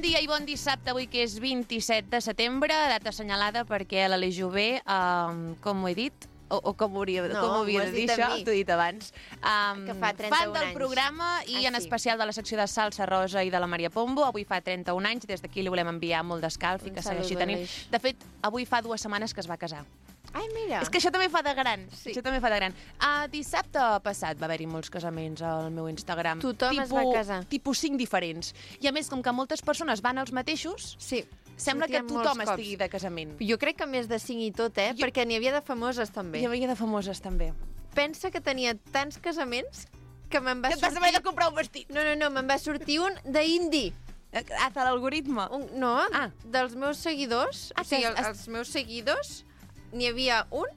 dia i bon dissabte avui, que és 27 de setembre, data assenyalada perquè a l'Aleix Jové, com ho he dit? O com ho havia de dir això? T'ho he dit abans. Que fa 31 fan del anys. programa i en especial de la secció de Salsa Rosa i de la Maria Pombo. Avui fa 31 anys, des d'aquí li volem enviar molt d'escalf i que segueixi tenint. De fet, avui fa 2 setmanes que es va casar. Ai, mira. És que això també fa de gran. Sí. Això també fa de gran. Dissabte passat va haver-hi molts casaments al meu Instagram. Tothom es va casar. Tipus 5 diferents. I a més, com que moltes persones van als mateixos, Sí. sembla que Sortien tothom molts cops. estigui de casament. Jo crec que més de 5 i tot, perquè n'hi havia de famoses també. Hi havia de famoses també. Pensa que tenia tants casaments que me'n va Que et vas haver de comprar un vestit. No, me'n va sortir un d'indi. Hace l'algoritme. No, dels meus seguidors. Ah, O sigui, que els meus seguidors, n'hi havia un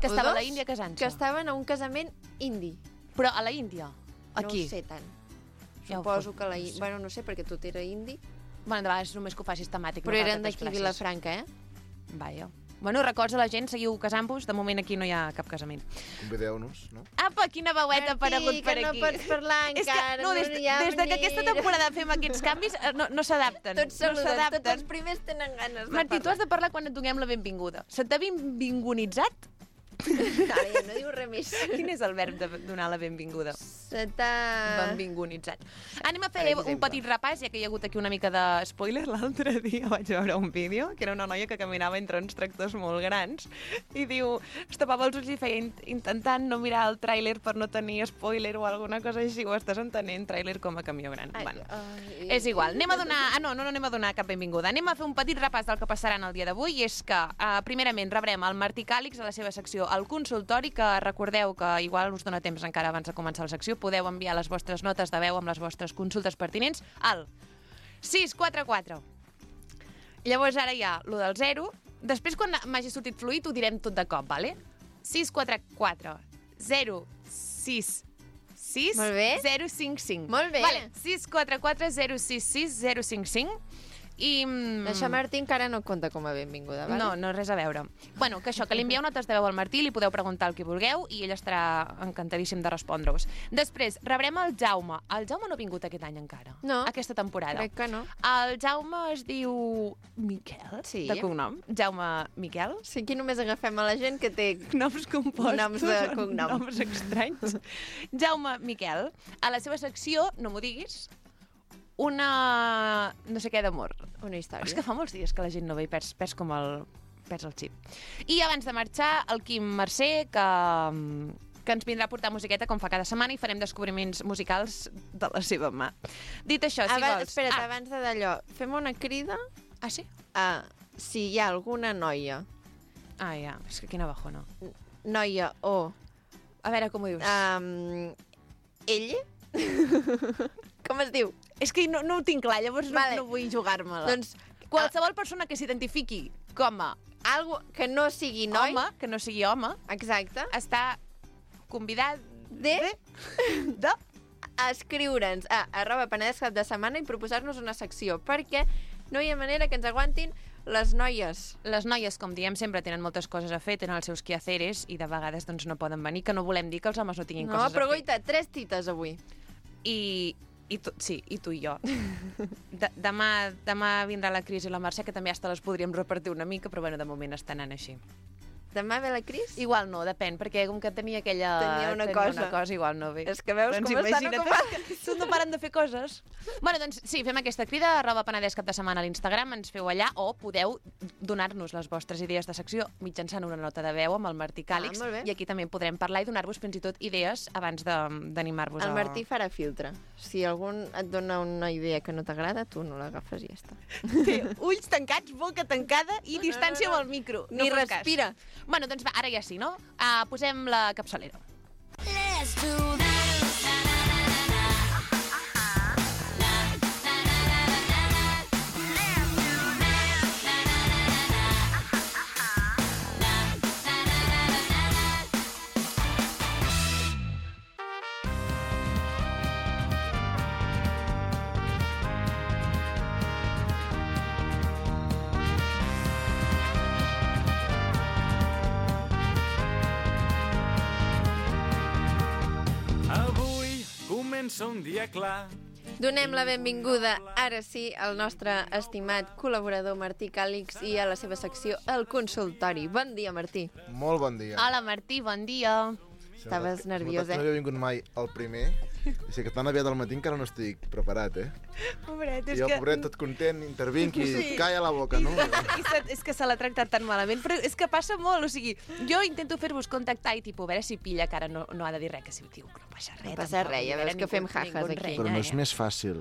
Que o estava a dos la Índia casant-se. que estaven a un casament indi. Però a la Índia? Aquí? No ho sé tant. Ja ho Suposo fot. que Bueno, no sé, perquè tot era indi. Bueno, de vegades només que ho fa sistemàtic. Però no cal eren tantes d'aquí classes. Vilafranca, Vaja. Bueno, records a la gent, seguiu casant-vos. De moment aquí no hi ha cap casament. Convideu-nos, no? Apa, quina veueta ha aparegut per que aquí. no pots parlar És que, encara. no, des que aquesta temporada fem aquests canvis, no s'adapten. Tots saluden, no s'adapten. tots els primers tenen ganes de Martí, tu parlar. has de parlar quan et donem la benvinguda. Se t'ha benvingunitzat? Ara ja no diu res més. Quin és el verb de donar la benvinguda? Se t'ha... Benvingunitzat. Anem a fer Per exemple. un petit repàs, ja que hi ha hagut aquí una mica de spoiler. L'altre dia vaig veure un vídeo, que era una noia que caminava entre uns tractors molt grans i diu, es tapava els ulls i feia intentant no mirar el tràiler per no tenir spoiler o alguna cosa així, ho estàs entenent, tràiler com a camió gran. Bueno, és igual. Anem a donar... no anem a donar cap benvinguda. Anem a fer un petit repàs del que passarà en el dia d'avui, i és que, primerament, rebrem el Martí Càlix a la seva secció El Consultori, que recordeu que igual us dona temps encara abans de començar la secció, podeu enviar les vostres notes de veu amb les vostres consultes pertinents al 644. Llavors ara hi ha lo del 0. Després, quan m'hagi sortit fluid, ho direm tot de cop, vale? 644 066 Molt bé. 055. Molt bé. Vale, 644 066 055. I... Això, Martí, encara no compta com a benvinguda, vale? No, res a veure. Bueno, que això, que li envieu notes de veu al Martí, li podeu preguntar el que vulgueu i ell estarà encantadíssim de respondre-us. Després, rebrem el Jaume. El Jaume no ha vingut aquest any encara. No. Aquesta temporada. Crec que no. El Jaume es diu Miquel, Sí. de cognom. Jaume Miquel. Sí, aquí només agafem a la gent que té... Noms compostos. Noms de cognom. Noms estranys. Jaume Miquel. A la seva secció, no m'ho diguis, una... no sé què d'amor. Una història. És que fa molts dies que la gent no ve i perds el xip. I abans de marxar, el Quim Mercè, que ens vindrà a portar musiqueta com fa cada setmana i farem descobriments musicals de la seva mà. Dit això, si vols... Espera't, abans d'allò, fem una crida Ah, sí? a si hi ha alguna noia, Ah, ja. És que quina bajona. noia o A veure com ho dius. ell, com es diu? És que no ho tinc clar, llavors Vale. no vull jugar-me-la. Doncs qualsevol persona que s'identifiqui com a algo que no sigui noi, home, que no sigui home, exacte, està convidat de de... escriure'ns a @penedès cap de setmana i proposar-nos una secció, perquè no hi ha manera que ens aguantin les noies. Les noies, com diem sempre, tenen moltes coses a fer, tenen els seus quehaceres i de vegades doncs, no poden venir, que no volem dir que els homes no tinguin No, coses però a fer. goita, 3 tites avui. I tu, sí, i tu i jo. Demà vindrà la Cris i la Mercè, que també hasta les podríem repartir una mica, però bueno, de moment està anant així. Demà ve la Cris? Igual no, depèn, perquè com que tenia aquella... Tenia una cosa, igual no ve. És que veus com estan imagina't, ocupades. Tu no paren de fer coses. Bueno, doncs sí, fem aquesta crida, @penedès cap de setmana a l'Instagram, ens feu allà, o podeu donar-nos les vostres idees de secció mitjançant una nota de veu amb el Martí Càlix, molt bé. i aquí també podrem parlar i donar-vos fins i tot idees abans d'animar-vos El Martí farà filtre. Si algun et dona una idea que no t'agrada, tu no l'agafes i ja està. Té ulls tancats, boca tancada i distància no. amb el micro. Ni fas cas. respira. Bueno, doncs va, ara ja sí, no? Posem la capçalera. Let's do this. Avui comença un dia clar Donem la benvinguda, ara sí, al nostre estimat col·laborador Martí Càlix i a la seva secció El Consultori. Bon dia, Martí. Molt bon dia. Hola, Martí, bon dia. Estaves nerviós, No havia vingut mai el primer. I sé que tan aviat al matí encara no estic preparat, Pobret, I jo, pobret, tot content, intervinc i calla la boca, no? És que se l'ha tractat tan malament, però és que passa molt, o sigui, jo intento fer-vos contactar i, tipus, a veure si pilla, que ara no ha de dir res, que si diu, no passa res. No passa res, ja veus que fem jajas aquí. Però no és més fàcil,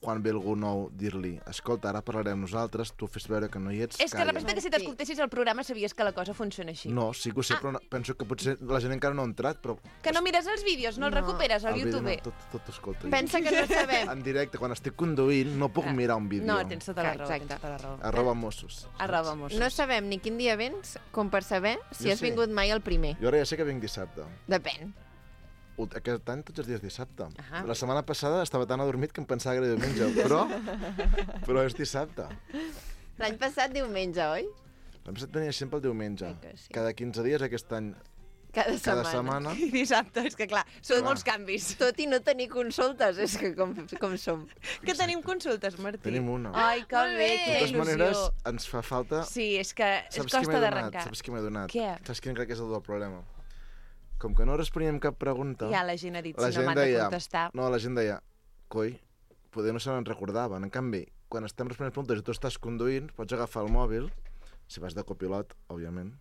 quan ve algú nou, dir-li escolta, ara parlarem nosaltres, tu fes veure que no hi ets, És que calla. representa que si t'escoltessis el programa sabies que la cosa funciona així. No, sí que ho sé, però penso que potser la gent encara no ha entrat, però... Que no mires els vídeos, no els recuperes al vídeo YouTube. no, tot escolta. Pensa que no sabem. En directe, quan estic conduint, no puc mirar un vídeo. No, tens tota la raó, Exacte. tens tota la raó. Arroba Mossos. Arroba Mossos. No sabem ni quin dia vens com per saber si Jo has sí. vingut mai al primer. Jo ara ja sé que vinc dissabte. Depèn. Aquest any tots els dies dissabte. Ahà. La setmana passada estava tan adormit que em pensava que era diumenge, però és dissabte. L'any passat diumenge, oi? L'any passat tenia sempre el diumenge. Que sí. Cada 15 dies, aquest any, Cada cada setmana. setmana. I dissabte, és que clar, són Clar. molts canvis. Tot i no tenir consultes, és que com som. Que tenim consultes, Martí? Tenim una. Ai, que Molt bé, bé. quina De totes maneres, il·lusió. ens fa falta... Sí, és que es Saps qui costa m'he donat? d'arrencar. Saps qui m'he donat? Què? Saps quin crec que és el problema? Com que no responíem cap pregunta... Ja la gent ha dit, la si no gent m'han de deia... contestar. No, la gent deia... Coi, poder no se n'en recordaven. En canvi, quan estem responent preguntes i tu estàs conduint, pots agafar el mòbil, si vas de copilot, òbviament,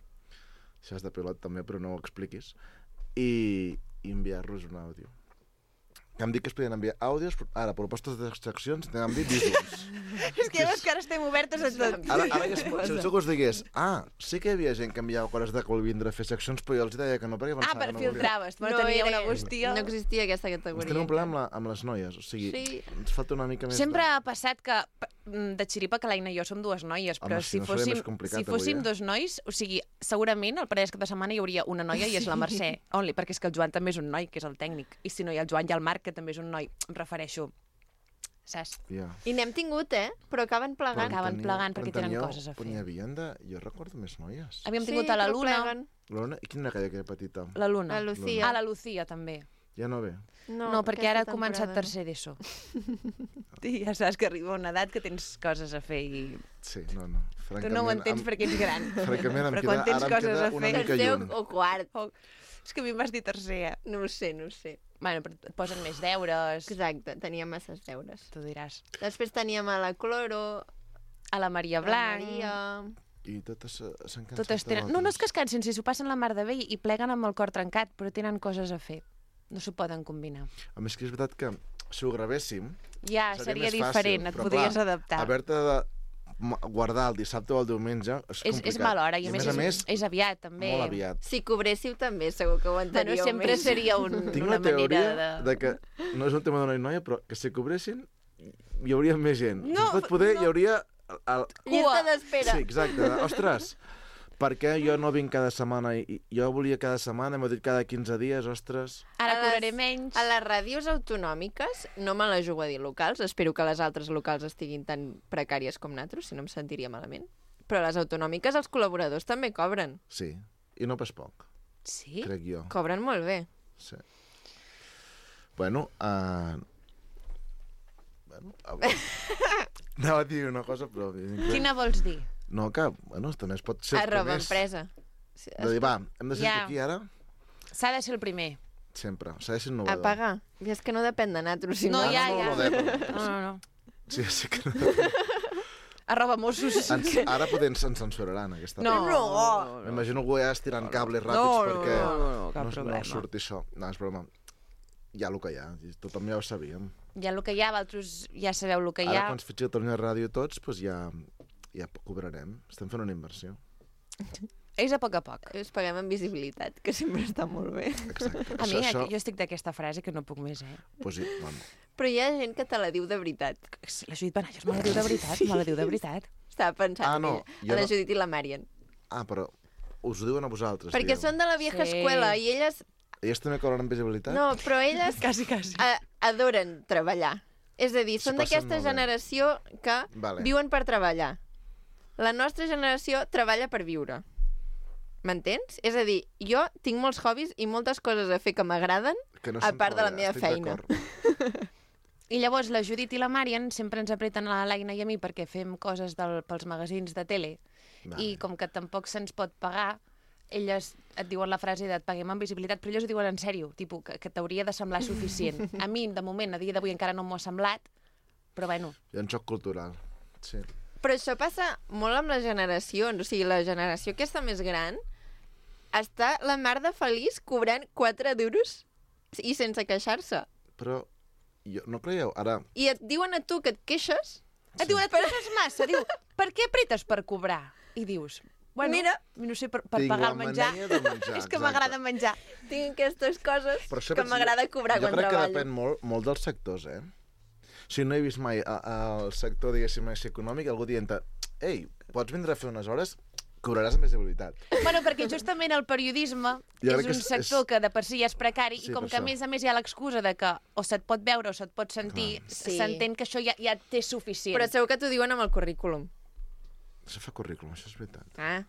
si vas de pilot també, però no ho expliquis, i enviar-los un àudio. Que em dic que es podien enviar àudios, però ara, propostes de seccions, n'hem dit vídeos. És que ja veus que ara estem obertes a tot. Ara ja si algú us digués, sí que hi havia gent que enviava coses de Colvindre a fer seccions, però jo els deia que no, perquè pensava Per que no filtraves, no tenia una bústia. No existia aquesta Ens categoria. tenim un problema amb les noies, o sigui, Sí. ens falta una mica més Sempre ha passat que, de xiripa, que l'Aina i jo som dues noies, però Home, si si no seria fóssim, més complicat si fóssim avui, dos nois, o sigui, segurament el parell de setmana hi hauria una noia i és la Mercè, only, perquè és que el Joan també és un noi, que és el tècnic, i si no hi ha el Joan i el Marc, que també és un noi, em refereixo, saps? Ja. I n'hem tingut, però acaben plegant. Acaben plegant perquè tenen teníeu- coses a fer. Però n'hi havien de... Jo recordo més noies. Havíem tingut a la però Luna, pleguen. L'Ona, i quina era aquella que era petita? la Luna. La Lucía. Ah, la Lucía, també. Ja no ve. No, perquè ara ha aquesta començat temporada tercer d'ESO. I ja saps que arriba una edat que tens coses a fer i Sí, no. tu no ho entens perquè ets gran. Francament, Però quan tens coses a una fer... mica Tercer lluny. o quart. Oh, és que a mi em vas dir tercer, eh? No ho sé. Bueno, però et posen més deures, Exacte, tenia masses deures. tu diràs. Després teníem a la Cloro, A la Maria la Blanc... Maria... I totes s'han cansat Totes tenen... No, no és que es cansin, si s'ho passen la mar de bé i pleguen amb el cor trencat, però tenen coses a fer. No s'ho poden combinar. A més que és veritat que si ho gravéssim... Ja, seria més diferent, fàcil, et però podries clar, adaptar. Haver-te de guardar el dissabte o el diumenge és complicat. És mala hora, i a a més és aviat, també. molt aviat. Si cobréssiu també, segur que ho Bueno, enteníeu sempre més. seria Tinc una la teoria manera de que no és un tema de noia i noia, però que si cobressin hi hauria més gent. No, Si pot poder, no. hi hauria... Llista d'espera. Sí, exacte. Ostres, per què jo no vinc cada setmana? I jo volia cada setmana, m'ho dit cada 15 dies, ostres... Ara A les- cobraré menys. A les ràdios autonòmiques, no me la jugo a dir locals, espero que les altres locals estiguin tan precàries com nosaltres, si no em sentiria malament. Però a les autonòmiques els col·laboradors també cobren. Sí, i no pas poc, Sí? crec jo. Cobren molt bé. Sí. Bueno, anava a dir una cosa, però... Quina vols dir? No, que, bueno, també es pot ser els Arroba primers. empresa. De dir, va, hem de ser Ja. aquí ara? S'ha de ser el primer. Sempre. S'ha de ser A innovador. pagar. I és que no depèn de nosaltres, si No, no... ja, no, ja. no, no, No, no, no. Sí, sí que no. Arroba Mossos. Ara potser ens censuraran, aquesta No. part. M'imagino algú ja estirant cables ràpids perquè cap no problema. surti això. No, és broma. Hi ha el que hi ha, i tothom ja ho sabíem. Hi ha el que hi ha, vosaltres ja sabeu el que hi Ara, ha. quan es fitxi Catalunya Ràdio tots, doncs ja cobrarem. Estem fent una inversió. És a poc a poc. Us paguem en visibilitat, que sempre està molt bé. Exacte. A mi, jo estic d'aquesta frase que no puc més, eh? Pues sí, bueno. Però hi ha gent que te la diu de veritat. La Judit Benalles me la diu de veritat, me la diu de veritat. Estava pensant Ah, en no, ella, jo a la no. Judit i la Marian. Ah, però us ho diuen a vosaltres, Perquè digueu. són de la vieja Sí. escuela i elles... Elles també cobren visibilitat? No, però elles Quasi, quasi. adoren treballar. És a dir, S'ho són passen d'aquesta molt bé. generació que Vale. viuen per treballar. La nostra generació treballa per viure. M'entens? És a dir, jo tinc molts hobbies i moltes coses a fer que m'agraden, Que no a són part de la treballar, meva estic feina. d'acord. I llavors la Judit i la Marian sempre ens apreten a l'Aina i a mi perquè fem coses pels magazins de tele. Vale. I com que tampoc se'ns pot pagar, elles et diuen la frase de et paguem amb visibilitat, però elles ho diuen en sèrio, tipus, que t'hauria de semblar suficient. A mi, de moment, a dia d'avui encara no m'ho ha semblat, però bueno. Hi ha un xoc cultural, sí. Però això passa molt amb les generacions. O sigui, la generació aquesta més gran està la mar de feliç cobrant 4 duros i sense queixar-se. Però no creieu, ara... I et diuen a tu que et queixes. Et diuen, et queixes massa, diu, per què apretes per cobrar? I dius, bueno, Mira, no sé, per Tinc pagar la el menjar. mania de menjar, És que exacte. m'agrada menjar. tinc aquestes coses Per això que vaig dir- m'agrada cobrar quan Jo crec que treballo. depèn molt dels sectors, eh? O sigui, no he vist mai al sector, diguéssim, així econòmic, algú dient ei, pots vindre a fer unes hores, cobraràs amb visibilitat. Bueno, perquè justament el periodisme Jo és crec que un sector que de per si ja és precari Sí, i com per que a això. més hi ha l'excusa de que o se't pot veure o se't pot sentir, Clar. Sí. s'entén que això ja té suficient. Però segur que t'ho diuen amb el currículum. Això fa currículum, això és veritat. Ah.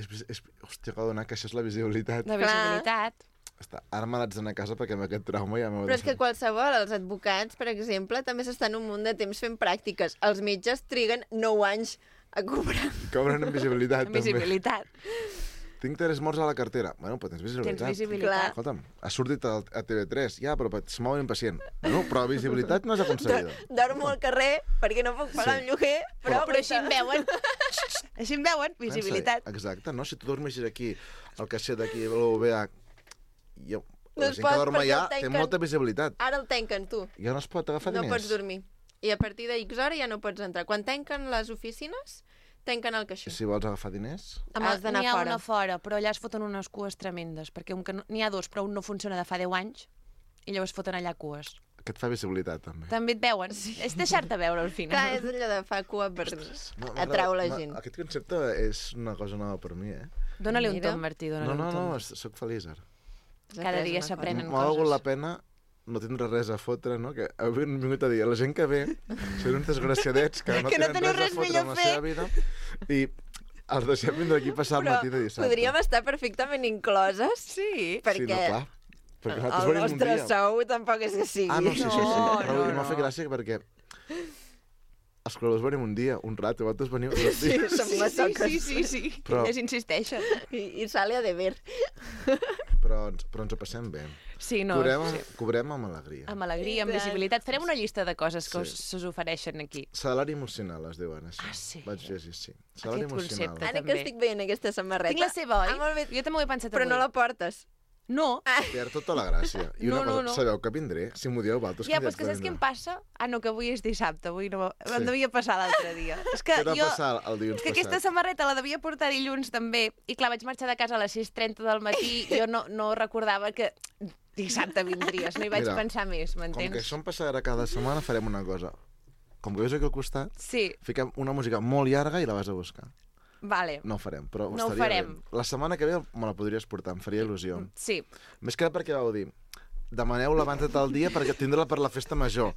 Hòstia, que donar que això és la visibilitat. De visibilitat. Ara me l'haig d'anar a casa perquè amb aquest trauma ja m'ho... Però és que qualsevol, els advocats, per exemple, també s'estan un munt de temps fent pràctiques. Els metges triguen 9 anys a cobrar. Cobren amb visibilitat, Amb visibilitat. Tinc 3 morts a la cartera. Bueno, però tens visibilitat. Tens visibilitat. Escolta'm, has sortit a TV3, ja, però se mou un impacient. Bueno, però visibilitat no és aconseguida. Dormo al carrer perquè no puc pagar Sí. el lloguer, però Així em veuen. Així em veuen, visibilitat. Pensa, exacte, no? Si tu dormeixis aquí, el caixer d'aquí, l'OVA, No la es gent pot, que dorm perquè allà el té tanquen. molta visibilitat. ara el tanquen, tu. Ja no es pot agafar No diners. pots dormir. I a partir de X hora ja no pots entrar. Quan tanquen les oficines, tanquen el caixer. Si vols agafar diners... Has d'anar N'hi ha fora. una fora, però allà es foten unes cues tremendes, perquè n'hi ha dos, però un no funciona de fa 10 anys, i llavors foten allà cues. Que et fa visibilitat, també. També et veuen. Sí. És deixar-te veure, al Clar, final. és allò de fa cua per M'agrada- atraure la gent. Aquest concepte és una cosa nova per mi, eh? Dóna-li un Mira. tom, Martí, dóna-li No, un no, tom. no, sóc feliç ara. Cada dia s'aprenen M'ha valgut coses. la pena no tindre res a fotre, no? Que avui hem vingut a dir a la gent que ve, són uns desgraciadets que no Que no tenen teniu res res a fotre millor amb la a fer. seva vida i els deixem vindre aquí a passar el Però matí de dissabte. podríem estar perfectament incloses Sí. perquè Sí, no, clar. Perquè nosaltres el venim un nostre dia. sou tampoc és que sigui. Ah, no, sí, sí, sí. No, Però no, m'ha no. fet gràcia perquè els col·laboradors venim un dia, un rato, i vosaltres veniu 2 dies. Som masoques. Sí. Però- Ells insisteixen. I sale a deber. Però ens ho passem bé. Sí, no. Cobrem amb alegria. Amb alegria, amb I tant. visibilitat. Farem una llista de coses que Sí. s'us ofereixen aquí. Salari emocional, es diuen així. Ah, sí? Vaig llegir, sí. Salari Aquest emocional. concepte. Ara que també. estic veient aquesta samarreta. Tinc la seva, oi? Ah, molt bé. Jo també ho he pensat Però avui. no la portes. No. Perd tota la gràcia. I una No, cosa, no. sabeu que vindré? Si m'ho dieu, vosaltres Ja, però és que saps què em passa? Ah, no, que avui és dissabte, avui no... Sí. Em devia passar l'altre dia. És que Què va jo... passar el dilluns És que aquesta passat? samarreta la devia portar dilluns també, i clar, vaig marxar de casa a les 6:30 del matí, jo no recordava que dissabte vindries, no hi vaig Mira, pensar més, Com que m'entens? això em passarà cada setmana, farem una cosa. Com que veus aquí al costat, Sí, fiquem una música molt llarga i la vas a buscar. vale. No ho farem, però No ho estaria farem. bé. La setmana que ve me la podries portar, em faria il·lusió. Sí. Més que res perquè vau dir, demaneu-la abans de tal dia perquè tindrà per la festa major.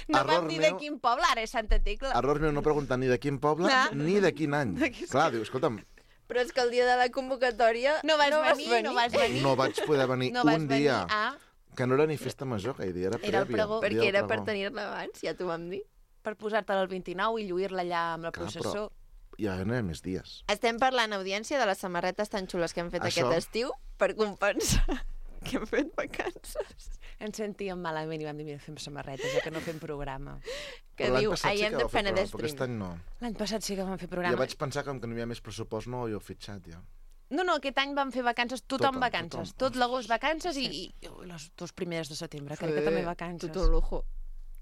No vam dir de quin poble, ara és Santa Tecla. Error meu no preguntar ni de quin poble Ah. ni de quin any. Clar, dius, escolta'm, Però és que el dia de la convocatòria No vas venir. no vaig poder venir No vas un venir. dia. Ah, Que no era ni festa major aquell dia, era Era el prèvia. pregó. el dia Perquè del era per pregó. tenir-la abans, ja t'ho vam dir. per posar-te-la el 29 i lluir-la allà amb la Clar, processó. Ja no hi ha més dies. Estem parlant, audiència, de les samarretes tan xules que hem fet Això. aquest estiu per compensar que hem fet vacances. Ens sentíem malament i vam dir, mira, fem samarretes, ja que no fem programa. Que Però l'any diu, passat I sí am que the vau fer programa, Penedès però aquest Dream. any no. L'any passat sí que vam fer Ja programa. vaig pensar que com que no hi havia més pressupost no ho heu fitxat, ja. No, aquest any vam fer vacances, tothom vacances. tothom. Tot l'agost vacances i les 2 primeres de setembre, crec que Sí, també vacances. Tot un lujo.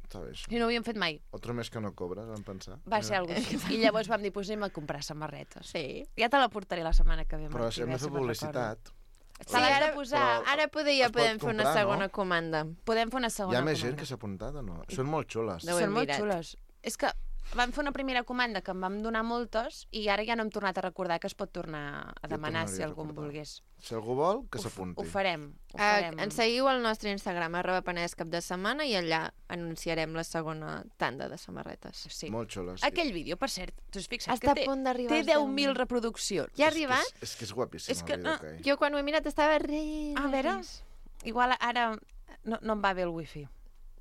Està bé, això. I no ho havíem fet mai. Otro mes que no cobres, vam pensar. Va ser alguna cosa així. I llavors vam dir, doncs anem a comprar samarretes. Sí. Ja te la portaré la setmana que ve, Però Martí, hem de a veure fer si me'n publicitat. recordo. Sí, Te l'has ara, de posar. ara ja es pot podem fer una comprar, segona no? comanda. Podem fer una Hi segona ha més comanda. gent que s'ha apuntat o no? Són molt xules. No ho Són hem molt mirat. xules. És que vam fer una primera comanda que em vam donar moltes i ara ja no hem tornat a recordar que es pot tornar a demanar tornaria si a algú en recordar. volgués. Si algú vol, que s'apunti. Ho farem. Ho farem. Ens seguiu al nostre Instagram, @Penedès cap de setmana, i allà anunciarem la segona tanda de samarretes. Sí. Molt xules. Aquell vídeo, per cert, t'ho has fixat Està que a punt d'arribar té als 10.000 reproduccions. Ja ha arribat? És que és guapíssim És que, el vídeo que hi ha. Jo quan ho he mirat estava res. A veure, igual ara no em va bé el wifi.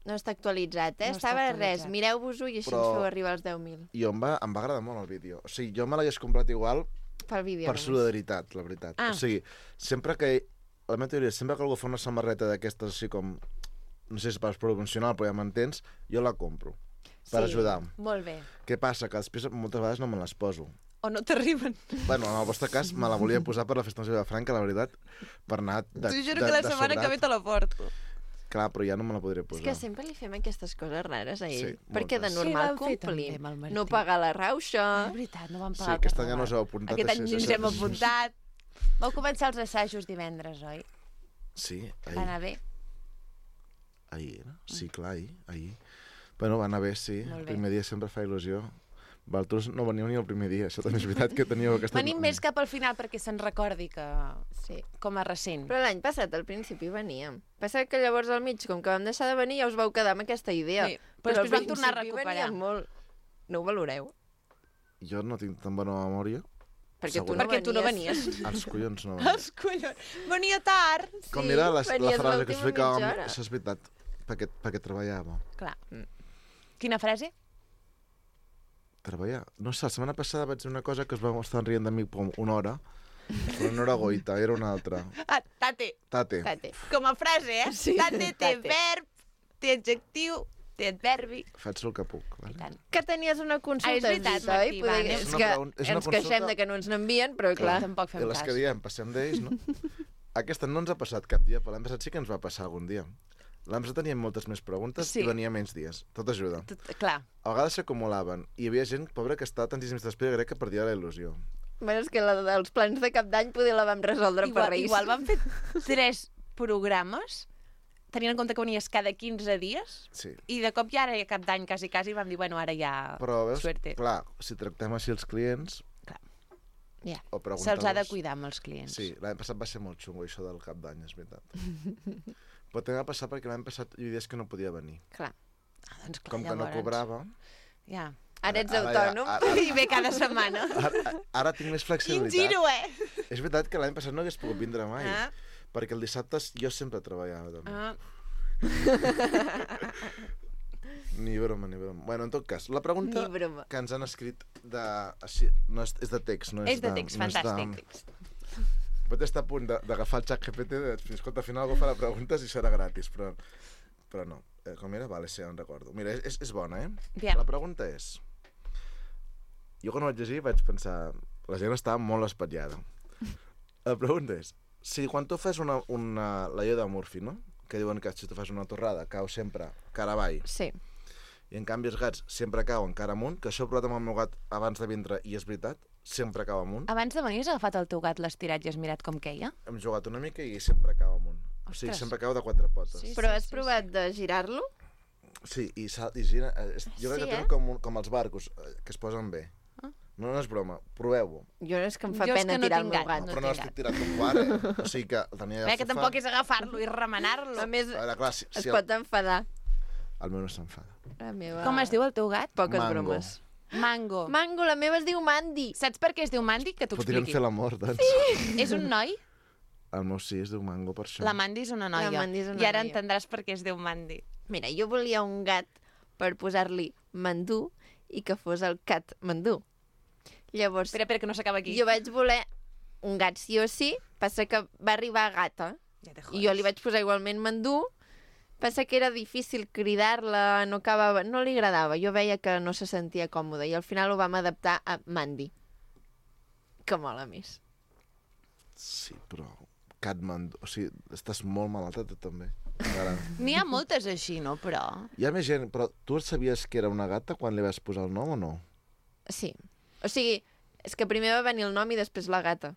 No està actualitzat, No està Estava actualitzat. res, mireu-vos-ho i així Però- ens feu arribar als 10.000. I em va agradar molt el vídeo. O sigui, jo me l'hagués comprat igual Pel vídeo. per només. solidaritat, la veritat. Ah. O sigui, sempre que... La meva teoria, sempre que algú fa una samarreta d'aquestes així com... No sé si és per promocional, però ja m'entens, jo la compro. Per ajudar. Molt bé. Què passa? Que després moltes vegades no me les poso. O no t'arriben. Bueno, en el vostre cas, me la volia posar per la festa major de Franca, la veritat, per anar T'ho juro que la setmana que ve te la porto. Clar, però ja no me la podré És posar. que sempre li fem aquestes coses rares a ell. Sí, perquè de moltes. normal Sí, vam fer també complim. amb el Martí. No pagar la rauxa. És veritat, no vam Sí, pagar aquest el any ja no us heu carnaval. apuntat. Aquest any així, ens això. hem apuntat. Vau començar els assajos divendres, oi? Sí, Va ahir. anar bé? Ahir era? Sí, clar, ahir. Bueno, va anar bé, sí. Molt El bé. primer dia sempre fa il·lusió. Vosaltres no veníeu ni el primer dia, això també és veritat que teníeu aquesta... Venim més cap al final perquè se'n recordi que... Sí. Com a recent. Però l'any passat, al principi, veníem. Passa que llavors al mig, com que vam deixar de venir, ja us vau quedar amb aquesta idea. Sí, però al després vam tornar a principi recuperar. veníem molt. No ho valoreu? Jo no tinc tan bona memòria. Perquè tu Segur. no Perquè tu no venies. venies. Els collons no venien. Els collons. Venia tard. Com era la venies frase que l'última explicava... mitja hora. Això és veritat, perquè treballava. Clar. Quina frase? Treballar. No sé, la setmana passada vaig dir una cosa que es va estar rient de mi com una hora, però no era goita, era una altra. Ah, tate. Tate. Tate. Com a frase, eh? Sí, Tate té tate. verb, té adjectiu, té adverbi. Faig el que puc. I Vale? tant. Que tenies una consulta, Ah, és veritat, has dit, oi? Martí, va, Poder- anem. És És una que pregunta- és una ens queixem consulta- de que no ens n'envien, però clar. Tampoc fem I les cas. que diem, passem d'ells, no? Aquesta no ens ha passat cap dia, però l'any passat sí que ens va passar algun dia. L'any passat teníem moltes més preguntes Sí. i venia menys dies. Tot ajuda. Clar. A vegades s'acumulaven i hi havia gent, pobra, que estava tantíssims d'espera, crec que perdia la il·lusió. Bueno, és que la dels plans de cap d'any poder la vam resoldre per Reis. Igual vam fer 3 programes, tenint en compte que venies cada 15 dies, Sí. i de cop ja era cap d'any, quasi, vam dir, bueno, ara ja... Però, veus, Suerte. clar, si tractem així els clients Ja. o preguntar-los... Se'ls ha de cuidar amb els clients. Sí, l'any passat va ser molt xungo, això del cap d'any, és veritat. Però també va passar perquè l'any passat hi havia dies que no podia venir. Clar. Ah, doncs clar, Com que no llavors, cobrava... Ja. Ara ets Ara ja- autònom. I ve cada setmana. Ara tinc més Quin flexibilitat. giro, eh? És veritat que l'any passat no hagués pogut vindre mai. Ah. Perquè el dissabte jo sempre treballava, també. Ah. Ni broma, ni broma. Bueno, en tot cas, la pregunta Ni broma. que ens han escrit de... Així, no és de text, no és, És de text, no és fantàstic. Pot estar a punt d'agafar el xat GPT i de dir, escolta, al final algú farà preguntes i serà gratis, però no. Com era? Vale, sí, en recordo. Mira, és bona, eh? Bien. La pregunta és... Jo quan ho vaig llegir vaig pensar... La gent estava molt espatllada. La pregunta és... Si quan tu fas la llei de Murphy, no? Que diuen que si tu fas una torrada cau sempre cara avall, Sí. i en canvi els gats sempre cauen cara amunt, que això ho he provat amb el meu gat abans de vindre i és veritat, sempre cau amunt. Abans de venir has agafat el teu gat, l'estirat i has mirat com queia? Hem jugat una mica i sempre cau amunt. O sigui, Ostres. sempre cau de 4 potes. Sí. Però has provat de girar-lo? Sí, i gira... Jo crec Sí, que eh? tenen com els barcos, que es posen bé. Ah. No és broma, proveu-ho. Jo és que em fa Jo és pena que no tirar el tinc meu gat, gat. no. Però no tinc l'estic gat. tirant com tu ara. O sigui que el tenia Bé, que tampoc és agafar-lo i remenar-lo. A més, A veure, clar, es pot enfadar. El meu no s'enfada. La meva... Com es diu el teu gat? Poques Mango. bromes. Mango. Mango, la meva es diu Mandy. Saps per què es diu Mandy? Que t'ho Podríem expliqui. fer l'amor, doncs. Sí. És un noi? El meu sí es diu Mango, per això. La Mandy és una noia. La Mandy és una I ara noia. entendràs per què es diu Mandy. Mira, jo volia un gat per posar-li Mandú i que fos el cat Mandú. Llavors, Espera, que no s'acaba aquí. jo vaig voler un gat sí o sí, passa que va arribar gata. Ja te I jo li vaig posar igualment Mandú, passa que era difícil cridar-la, no acabava, no li agradava. Jo veia que no se sentia còmoda i al final ho vam adaptar a Mandy, que mola més. Sí, però... Catman... O sigui, estàs molt malalta, tu també. Ara. N'hi ha moltes així, no? Però... Hi ha més gent, però tu sabies que era una gata quan li vas posar el nom o no? Sí. O sigui, és que primer va venir el nom i després la gata.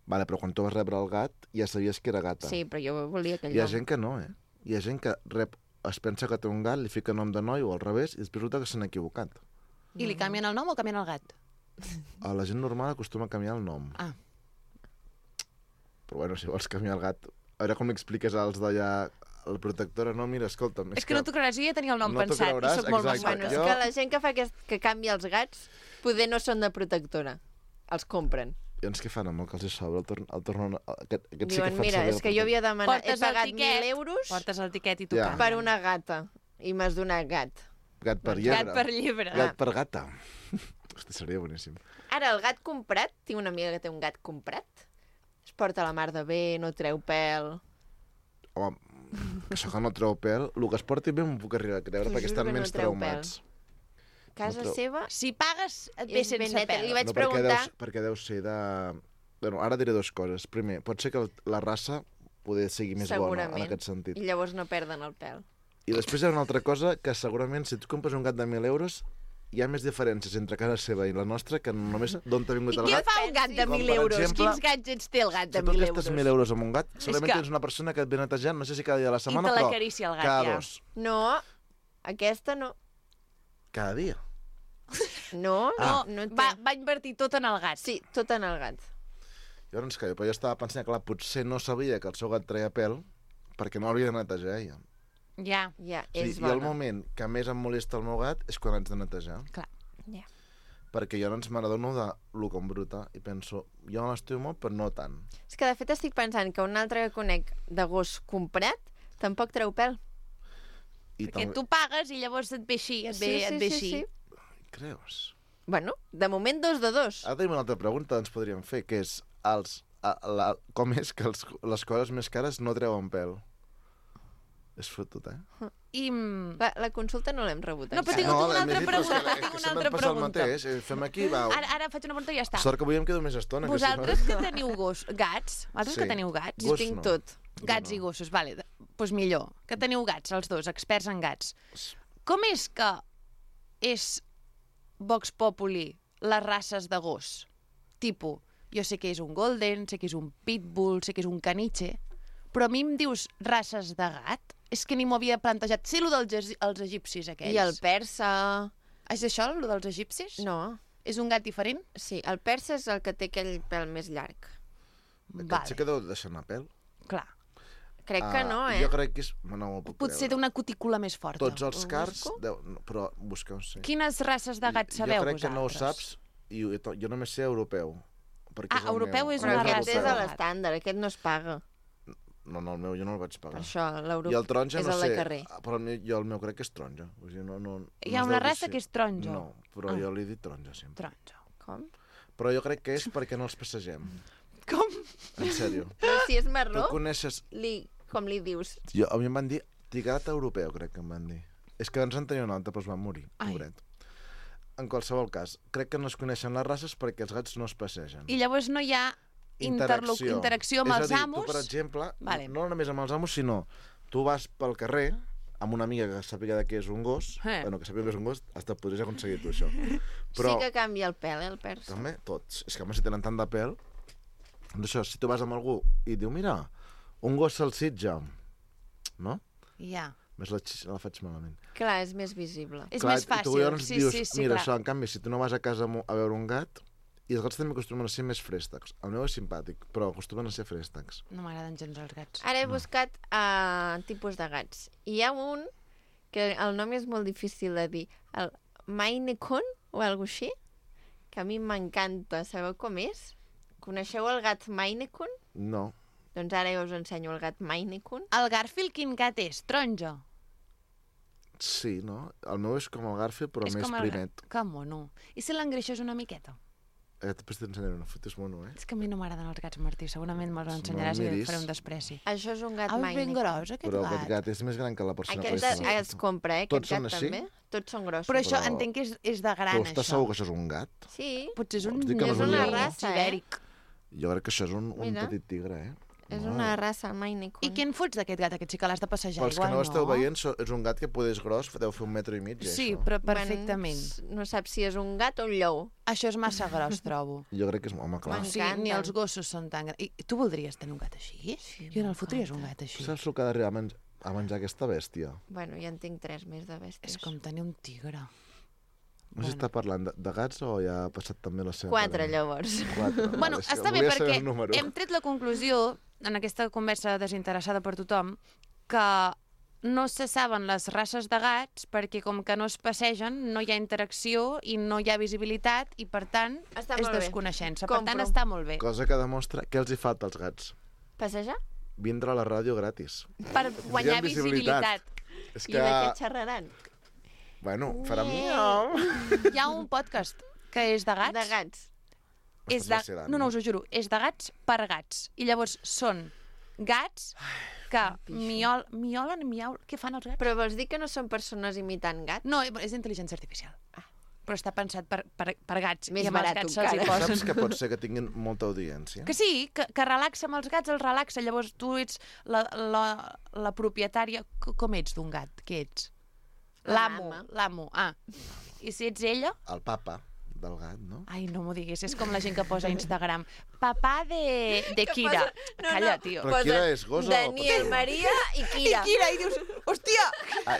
Vale, però quan tu vas rebre el gat ja sabies que era gata. Sí, però jo volia aquell Hi ha nom. gent que no, eh? Hi ha gent que es pensa que té un gat, li fica nom de noi o al revés i després resulta que s'han equivocat. I li canvien el nom o canvien el gat? A la gent normal acostuma a canviar el nom. Ah. Però bueno, si vols canviar el gat... A veure com li expliques als d'allà... La protectora, no, mira, escolta'm... És que no t'ho creuràs, jo ja tenia el nom no t'ho pensat creuràs, i soc molt exacte. Bueno, masoca. és Jo- que la gent que fa que canvia els gats poder no són de protectora. Els compren. I doncs què fan amb el que els hi sobra? El tornen... Aquest sí que Diuen, fan mira, servir és que jo havia demanat... He Portes el pagat tiquet, 1.000 euros portes el tiquet i t'ho Ja. canvien. per una gata. I m'has donat gat. Gat per llebre. Gat per llibre. Gat per gata. Hosti, seria boníssim. Ara, el gat comprat, tinc una amiga que té un gat comprat. Es porta la mar de bé, no treu pèl. Home, això que no treu pèl, el que es porti bé m'ho puc arribar a creure T'ho perquè juro estan que no menys treu traumats. Casa treu. seva Si pagues, et ve és ben sense neta. pèl. Li vaig No, preguntar... perquè deu ser de... Bueno, ara diré dues coses. Primer, pot ser que la raça poder sigui més bona Segurament. en aquest sentit. I llavors no perden el pèl. I després hi ha una altra cosa que segurament si tu compres un gat de 1.000 euros hi ha més diferències entre casa seva i la nostra que només d'on t'ha vingut I el què gat. fa un gat de Com, 1.000 per euros? exemple, Quins gadgets té el gat Si de tu 1.000 gastes euros? 1.000 euros amb un gat, segurament que- tens una persona que et ve netejant, no sé si cada dia de la setmana, te però l'acaricia el gat, cada ja. 2. No, aquesta no. Cada dia. No, Ah. no té. Va invertir tot en el gat. Sí, tot en el gat. Llavors, que però jo estava pensant que clar, potser no sabia que el seu gat treia pèl perquè no l'havia de netejar ella. Ja, Ja, O sigui, és I el bona. moment que més em molesta el meu gat és quan haig de netejar. clar. Ja. Perquè jo doncs me n'adono de lo com bruta i penso, jo m'estimo molt, però no tant. És que de fet estic pensant que un altre que conec de gos comprat tampoc treu pèl. I Perquè tu pagues i llavors et ve així, et ve així. Creus? Bueno, de moment 2 de 2. Ara tenim una altra pregunta que ens podríem fer, que és com és que les coses més cares no treuen pèl? És fotut, eh? I... La consulta no l'hem rebut No, però encara. tinc una l'hem altra llegit, però és pregunta, que tinc una sempre altra em passa el pregunta. mateix. Fem aquí, va. Ara faig una pregunta i ja està. Sort que avui em quedo més estona. Vosaltres que que teniu gats, vosaltres Sí. que teniu gats, Jo Gos tinc no. tot. gats no. i gossos, vale, doncs millor, que teniu gats, els dos, experts en gats. Com és que és Vox Populi les races de gos? Tipo, jo sé que és un golden, sé que és un pitbull, sé que és un caniche, però a mi em dius races de gat? És que ni m'ho havia plantejat. Sé allò dels egipcis aquells. I el persa... És això, allò dels egipcis? No. És un gat diferent? Sí, el persa és el que té aquell pèl més llarg. Aquest sí que deu deixar anar pèl. Clar. Crec que no, Jo crec que és... No m'ho puc Potser té creure. una cutícula més forta. Tots els Ho cars... busco? No, però busca-ho, sí. Quines races de gats sabeu Jo crec vosaltres? que no ho saps i jo només sé europeu. perquè és el europeu meu. és Però una aquest raça és de a gat. l'estàndard, aquest no es paga. No, el meu jo no el vaig Per pagar. això, I l'europeu el taronja és no el sé, de carrer. però el meu crec que és taronja. O sigui, no Hi ha es una deu dir raça així. que és taronja? No, però Ah. jo li he dit taronja sempre. Taronja. Com? Però jo crec que és perquè no els passegem. Com? En sèrio. Però si és Tu marró, coneixes... com li dius? A mi em van dir tigrat europeu, crec que em van dir. És que ens en tenia un altre, però es va morir, Ai. pobret. En qualsevol cas, crec que no es coneixen les races perquè els gats no es passegen. I llavors no hi ha interacció amb els És a dir, amos? tu, per exemple, Vale. no només amb els amos, sinó tu vas pel carrer amb una amiga que sàpiga de què és un gos, bueno, que sàpiga que és un gos, hasta podries aconseguir tu això. Però Sí que canvia el pèl, el persa. també tots. És que, home, si tenen tant de pèl... Doncs això, si tu vas amb algú i diu, mira, un gos salsitja, no? Ja. Més la faig malament. Clar, és més visible. És Clar, més i tu fàcil. llavors Sí, dius, sí, sí, mira, clar. això, en canvi, si tu no vas a casa a veure un gat, i els gats també acostumen a ser més fréstecs. El meu és simpàtic, però acostumen a ser fréstecs. No m'agraden gens els gats. Ara he buscat tipus de gats. I hi ha un que el nom és molt difícil de dir. El Maine Coon o alguna així, que a mi m'encanta. Sabeu com és? Coneixeu el gat Maine Coon? No. Doncs ara jo us ensenyo el gat Maine Coon. El Garfield quin gat és? Taronja? Sí, no? El meu és com el Garfield, però És més com el primet. gat. Que mono. I si l'engreixes una miqueta? Després t'ensenyaré una foto, és mono, eh? És que a mi no m'agraden els gats, Martí. Segurament me'ls No ensenyaràs el i miris. faré un despreci. Això és un gat Ah, és Maine ben Coon. gros, aquest Però gat. aquest gat és més gran que la persona Aquest que l'està es compra, aquest Tots gat són així? també. Tots són grossos. Però això Però- entenc que és de gran, Però estàs això. segur que això és un gat? Sí, Potser és un Vols dir que no és una lleó raça, ibèric. Jo crec que això és un Mira. petit tigre, eh? és No. una raça, el Maine Coon. I què en fots d'aquest gat? Aquest sí que l'has de passejar, Pels que igual, no l'esteu no? veient, és un gat que potser és gros, deu fer 1,5 metre. Sí, això. però perfectament. No saps si és un gat o un lleó. Això és massa gros, trobo. Jo crec que és... Home, clar. M'encanta. Sí, ni els gossos són tan grans. I tu voldries tenir un gat així? Sí, Jo en el fotries un gat així. Saps el que ha d'arribar a menjar aquesta bèstia? Bueno, ja en tinc 3 més de bèsties. És com tenir un tigre. No sé si està parlant de gats o ja ha passat també la seva... 4, parella? llavors. 4. Bueno, és que està bé volia saber perquè el número. hem tret la conclusió, en aquesta conversa desinteressada per tothom, que no se saben les races de gats perquè com que no es passegen, no hi ha interacció i no hi ha visibilitat i, per tant, Està és molt bé. desconeixença. Per tant, Compro. està molt bé. Cosa que demostra què els hi falta als gats. Passejar? Vindre a la ràdio gratis. Per guanyar Tindrien visibilitat. visibilitat. És I de què xerraran? Bueno, farà Hi ha un podcast que és de gats. De gats. És Estàs vacil·lant, No, us ho juro. És de gats per gats. I llavors són gats que miolen, Què fan els gats? Però vols dir que no són persones imitant gats? No, és intel·ligència artificial. Però està pensat per gats. Més I amb els barat gats se'ls hi encara. posen. Saps que pot ser que tinguin molta audiència? Que sí, que relaxa amb els gats, els relaxa. Llavors tu ets la propietària. Com ets d'un gat? Què ets? L'amo. I si ets ella? El papa del gat, no? Ai, no m'ho diguis, és com la gent que posa a Instagram. Papà de Kira. Calla, tio. Però Kira és gos o... Daniel, Maria i Kira. I dius, hòstia!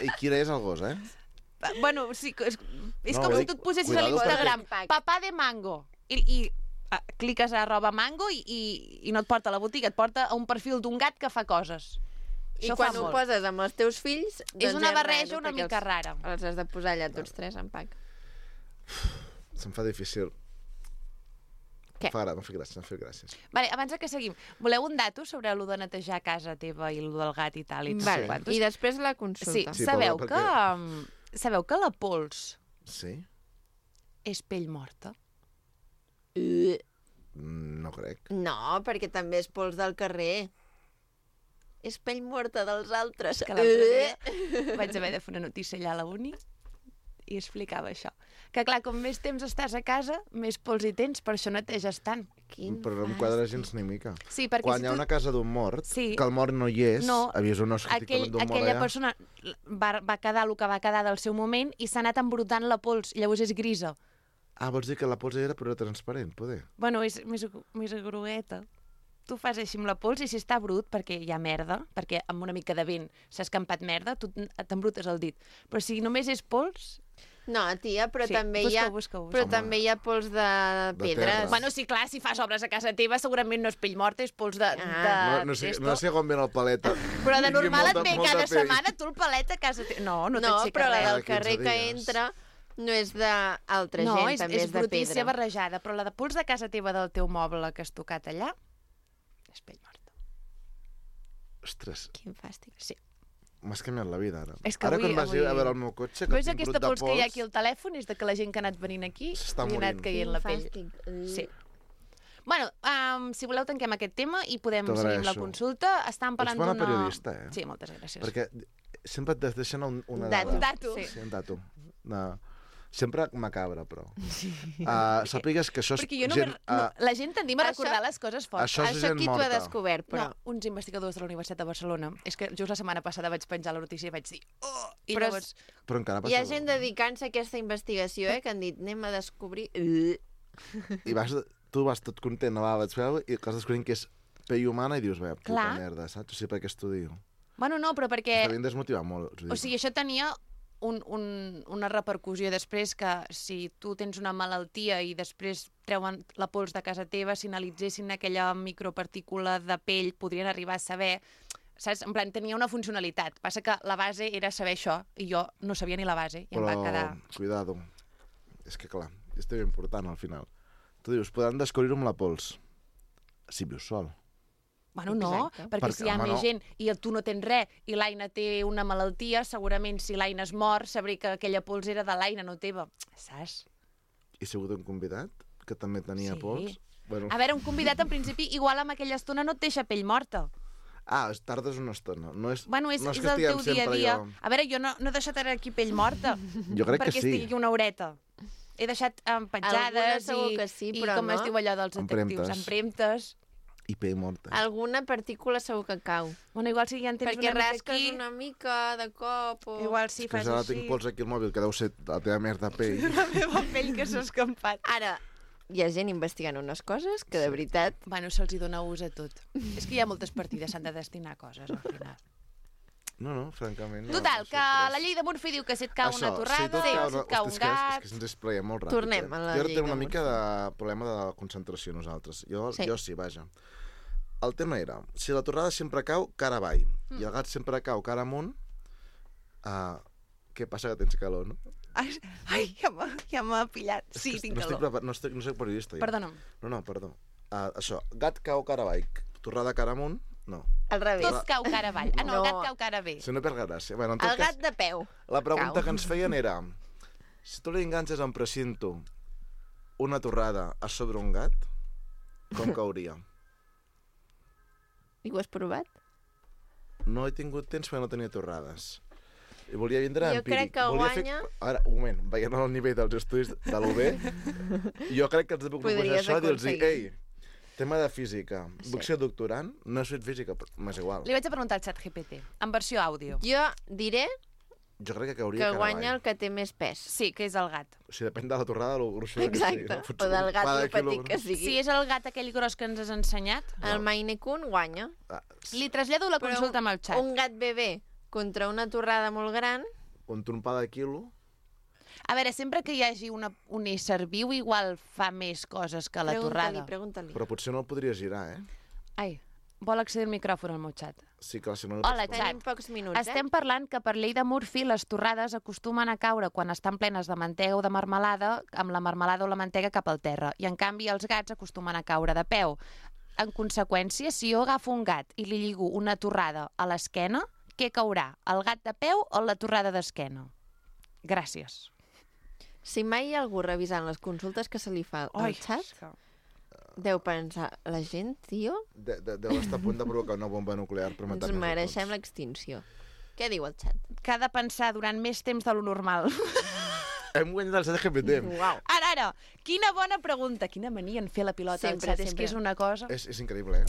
I Kira és el gos, eh? Bueno, sí, és No, com vull si dir, tu et posessis a cuidado l'Instagram perquè- papà de mango i cliques a @mango i no et porta a la botiga, et porta a un perfil d'un gat que fa coses. I Això quan fa ho molt. poses amb els teus fills... És doncs una és barreja raro, una perquè mica rara. Els has de posar allà tots tres en pack. Se'm fa difícil. Què? M'ha fet gràcies. Vale, abans de que seguim, voleu un dato sobre allò de netejar casa teva i allò del gat i tal? I Vale. quantos? I després la consulta. Sí, Sí, sabeu però que... Sabeu que la pols Sí? és pell morta? No crec. No, perquè també és pols del carrer. És pell morta dels altres. Que l'altre dia vaig haver de fer una notícia allà a la uni i explicava això. Que clar, com més temps estàs a casa, més pols hi tens, per això neteges tant. Però no em quadra gens ni mica. Sí, perquè Quan si hi ha tu... una casa d'un mort, Sí. que el mort no hi és, No, avisa un estic d'un mort aquella allà. persona va quedar el que va quedar del seu moment i s'ha anat embrutant la pols, i llavors és grisa. Ah, vols dir que la pols era però era transparent, poder? Bueno, és més grogueta. Tu fas així amb la pols i si està brut, perquè hi ha merda, perquè amb una mica de vent s'ha escampat merda, tu t'embrutes el dit. Però si només és pols... No, tia, però Sí, també hi ha... busca. Però també hi ha pols de pedres. terra. Bueno, sí, clar, si fas obres a casa teva, segurament no és pell morta, és pols de... No sé com ve el paleta. Però de Tingui normal et molta- ve molta cada pell. setmana tu el palet a casa teva. No No, t'aixeca però la res. del carrer 15 que dies. entra no és d'altra No, gent, també és de brutícia pedra. barrejada, però la de pols de casa teva del teu moble que has tocat allà és pell morta. Ostres, Quin fàstic. Sí. m'has canviat la vida, ara. És que Ara avui- quan vagi a avui- veure el meu cotxe, que Veus tinc aquesta brut de pols que hi ha aquí al telèfon? És de que la gent que ha anat venint aquí S'està li ha anat morint. caient la pell. Sí. Bueno, si voleu tanquem aquest tema i podem T'ho seguir amb la agraeixo. consulta. Estàvem parlant bona d'una... periodista, eh? Sí, moltes gràcies. Perquè sempre et deixen una Dato. dada. Dato. Sí, un dato. No. Sempre macabra, però. Sàpigues que això és Perquè jo no, gent... la gent tendim a Això- recordar les coses fortes. Això és Això gent qui t'ho ha morta. descobert, però... No, uns investigadors de la Universitat de Barcelona. És que just la setmana passada vaig penjar la notícia i vaig dir... Oh! I Però llavors... Però encara Hi ha passa... gent dedicant-se a aquesta investigació, que han dit, anem a descobrir... I tu vas tot content, vaig veure, i acabes descobrint que és pell humana i dius, bé, puta Clar. merda, saps? O sigui, per què estudio? Bueno, no, però perquè... M'havien desmotivat molt. O sigui, això tenia una repercussió després que si tu tens una malaltia i després treuen la pols de casa teva, si analitzessin aquella micropartícula de pell, podrien arribar a saber... Saps? En plan, tenia una funcionalitat. Passa que la base era saber això i jo no sabia ni la base i em va quedar... Cuidado. És que, clar, és ben important, al final. Tu dius, podran descobrir-ho amb la pols. Si vius sol. Bueno, no, Exacte. perquè si hi ha home, més no. gent i tu no tens res i l'Aina té una malaltia, segurament si l'Aina es mor sabré que aquella pols era de l'Aina, no teva. Saps? I si ha hagut un convidat que també tenia Sí. pols? Bueno. A veure, un convidat en principi igual amb aquella estona no et deixa pell morta. Tardes una estona. No és, Bueno, és no el que teu estiguem dia a sempre dia. allò. A veure, jo no he deixat ara aquí pell morta. Jo crec que perquè sí. estigui aquí una horeta. He deixat petjades Algunes segur que sí, però i com no. es diu allò dels detectius, Empremtes. empremtes. I pell morta. Alguna partícula segur que cau. Bueno, igual si ja en tens Perquè una mica rasques aquí, una mica de cop o... igual si És que fas ara així... tinc pols aquí al mòbil, que deu ser la teva merda pell. La meva pell que s'ha escampat. Ara, hi ha gent investigant unes coses que de veritat... Bueno, se'ls hi dona ús a tot. És que hi ha moltes partides, s'han de destinar a coses, al final. No, francament. No, Total, no sé que res. la llei de Murphy diu que si et cau Això, una torrada, tot si cau et cau un és gat... que se'ns expleia molt ràpid. Tornem a la Jo ara llei tenim de una mica de problema de concentració nosaltres. Jo sí, vaja. El tema era, si la torrada sempre cau cara avall i el gat sempre cau cara amunt, què passa que tens calor, no? Ai, ja m'ha pillat. Sí, tinc calor. No soc periodista, jo. Perdona'm. No, perdó. Això, gat cau cara avall, torrada cara amunt, no. Al revés. Tot cau cara avall. Ah, no, el No. gat cau cara bé. Si no perd gràcia. Bueno, en tot El gat cas, de peu. la pregunta cau. que ens feien era si tu li enganxes en precinto una torrada a sobre un gat, com cauria? I ho has provat? No he tingut temps perquè no tenia torrades. I volia vindre Jo empíric. crec que Volia guanya- Ara, un moment, veient el nivell dels estudis de l'UB, jo crec que els puc proposar Podries això i dir-los, aconseguir. ei, tema de física, Sí. vull ser doctorant, no he fet física, però m'és igual. Li vaig a preguntar al xat GPT, en versió àudio. Jo diré Jo crec que cauria que cara guanya avall. el que té més pes. Sí, que és el gat. O sigui, depèn de la torrada, lo gruixuda que sigui. Exacte. No? O del gat Cada lo petit quilògram. que sigui. Si és el gat aquell gros que ens has ensenyat, El Maine Coon guanya. Ah, li trasllado la consulta amb el xat. Un gat bebè contra una torrada molt gran, un trompada de quilo, A veure, sempre que hi hagi un ésser viu, igual fa més coses que la torrada. pregunta-li. però potser no el podria girar, Ai, vol accedir al micròfon al meu xat. Sí, clar, si no... Hola, pots- xat. Tenim pocs minuts, Estem parlant que per llei de Murphy les torrades acostumen a caure quan estan plenes de mantega o de marmelada, amb la marmelada o la mantega cap al terra. I en canvi els gats acostumen a caure de peu. En conseqüència, si jo agafo un gat i li lligo una torrada a l'esquena, què caurà? El gat de peu o la torrada d'esquena? Gràcies. Si mai hi ha algú revisant les consultes que se li fa al xat, deu pensar, la gent, tio, Deu estar a punt de provocar una bomba nuclear per ens matar-nos a mereixem tots. l'extinció. Què diu el xat? Que ha de pensar durant més temps de lo normal. Hem guanyat el ChatGPT. Uau. Ara, quina bona pregunta. Quina mania en fer la pilota Sempre, al xat. És sempre. que és una cosa... És increïble, eh?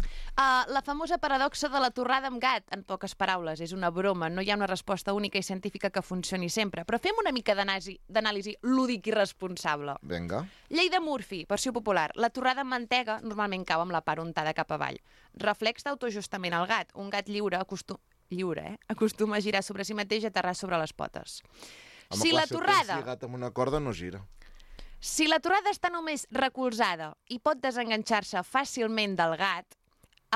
La famosa paradoxa de la torrada amb gat, en poques paraules, és una broma. No hi ha una resposta única i científica que funcioni sempre. Però fem una mica d'anàlisi lúdic i responsable. Vinga. Llei de Murphy, versió popular. La torrada amb mantega normalment cau amb la part untada cap avall. Reflex d'autoajustament al gat. Un gat lliure acostuma a girar sobre si mateix i aterrar sobre les potes. Home, Si clar, la el torrada... tens lligat amb una corda no gira. Si la torrada està només recolzada i pot desenganxar-se fàcilment del gat,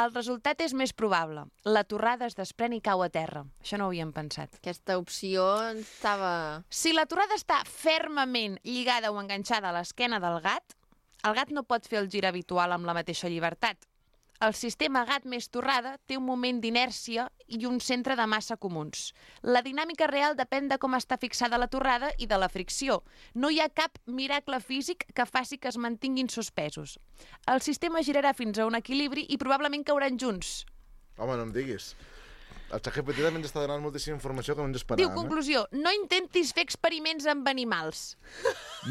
el resultat és més probable. La torrada es desprèn i cau a terra. Això no ho havíem pensat. Aquesta opció estava... Si la torrada està fermament lligada o enganxada a l'esquena del gat, el gat no pot fer el gir habitual amb la mateixa llibertat. El sistema gat més torrada té un moment d'inèrcia i un centre de massa comuns. La dinàmica real depèn de com està fixada la torrada i de la fricció. No hi ha cap miracle físic que faci que es mantinguin suspesos. El sistema girarà fins a un equilibri i probablement cauran junts. Home, no em diguis. El ChatGPT també ens està donant moltíssima informació que no ens esperàvem. Diu, conclusió, no intentis fer experiments amb animals.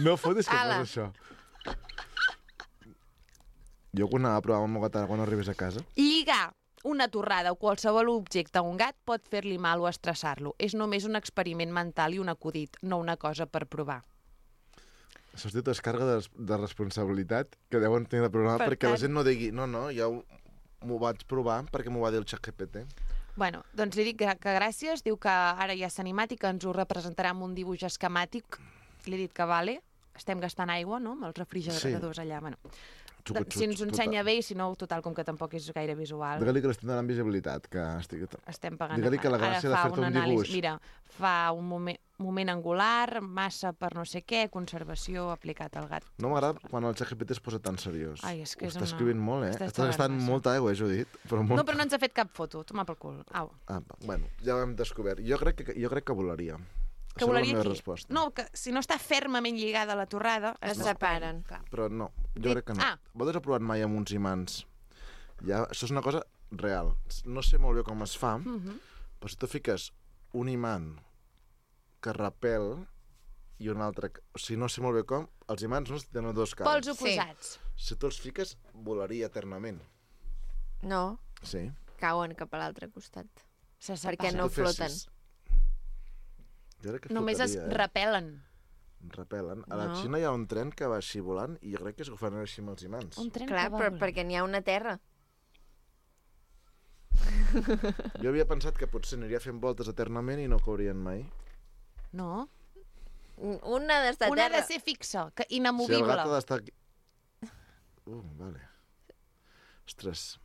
No fotis que Ala. fas això. Jo quan anava a provar amb el meu gat ara quan arribés a casa, Lligar una torrada o qualsevol objecte a un gat pot fer-li mal o estressar-lo. És només un experiment mental i un acudit, no una cosa per provar. això es diu descàrrega de responsabilitat que deuen tenir de programa Per perquè la tant- gent no digui no, ja m'ho vaig provar perquè m'ho va dir el ChatGPT. Bueno, doncs li dic que gràcies, diu que ara ja s'ha animat i que ens ho representarà amb un dibuix esquemàtic. Li he dit que vale, estem gastant aigua, no?, amb els refrigeradors allà. Bueno, si ens ho ensenya bé i si no, total, com que tampoc és gaire visual, Digue-li que l'estem donant visibilitat, que estic... estem pagant. Digue-li que la Ara gràcia de fa fer-te un anàlisi. dibuix. Mira, fa un moment angular, massa per no sé què, conservació aplicat al gat. No m'agrada quan el ChatGPT es posa tan seriós. Ai, és que Ho és està una- escrivint molt, eh? Estàs Està gastant massa. molta aigua, Judit. Però molt... No, però no ens ha fet cap foto. Toma pel cul. Au. Ah, bueno, ja ho hem descobert. Jo crec que volaria. Que Això és volaria la meva aquí. resposta. No, que si no està fermament lligada a la torrada... Es separen. Clar. Però no, jo crec que no. Ah. Vosaltres heu provat mai amb uns imants? Ja, això és una cosa real. No sé molt bé com es fa, però si tu fiques un imant que repel i un altre... O sigui, no sé molt bé com. Els imants no tenen dos cares. Pols oposats. Si tu els fiques, volaria eternament. No, Sí. cauen cap a l'altre costat. Se Perquè separen. no Si tu fessis- floten. Jo crec que Només es flotaria, repel·len. Repel·len. A la No. Xina hi ha un tren que va així volant i jo crec que es fan així amb els imants. Un tren Clar, que va però volant. perquè n'hi ha una terra. Jo havia pensat que potser aniria fent voltes eternament i no caurien mai. No. Una d'estar a Una ha terra. de ser fixa, que Si el inamovible. gat ha d'estar aquí... Vale. Ostres,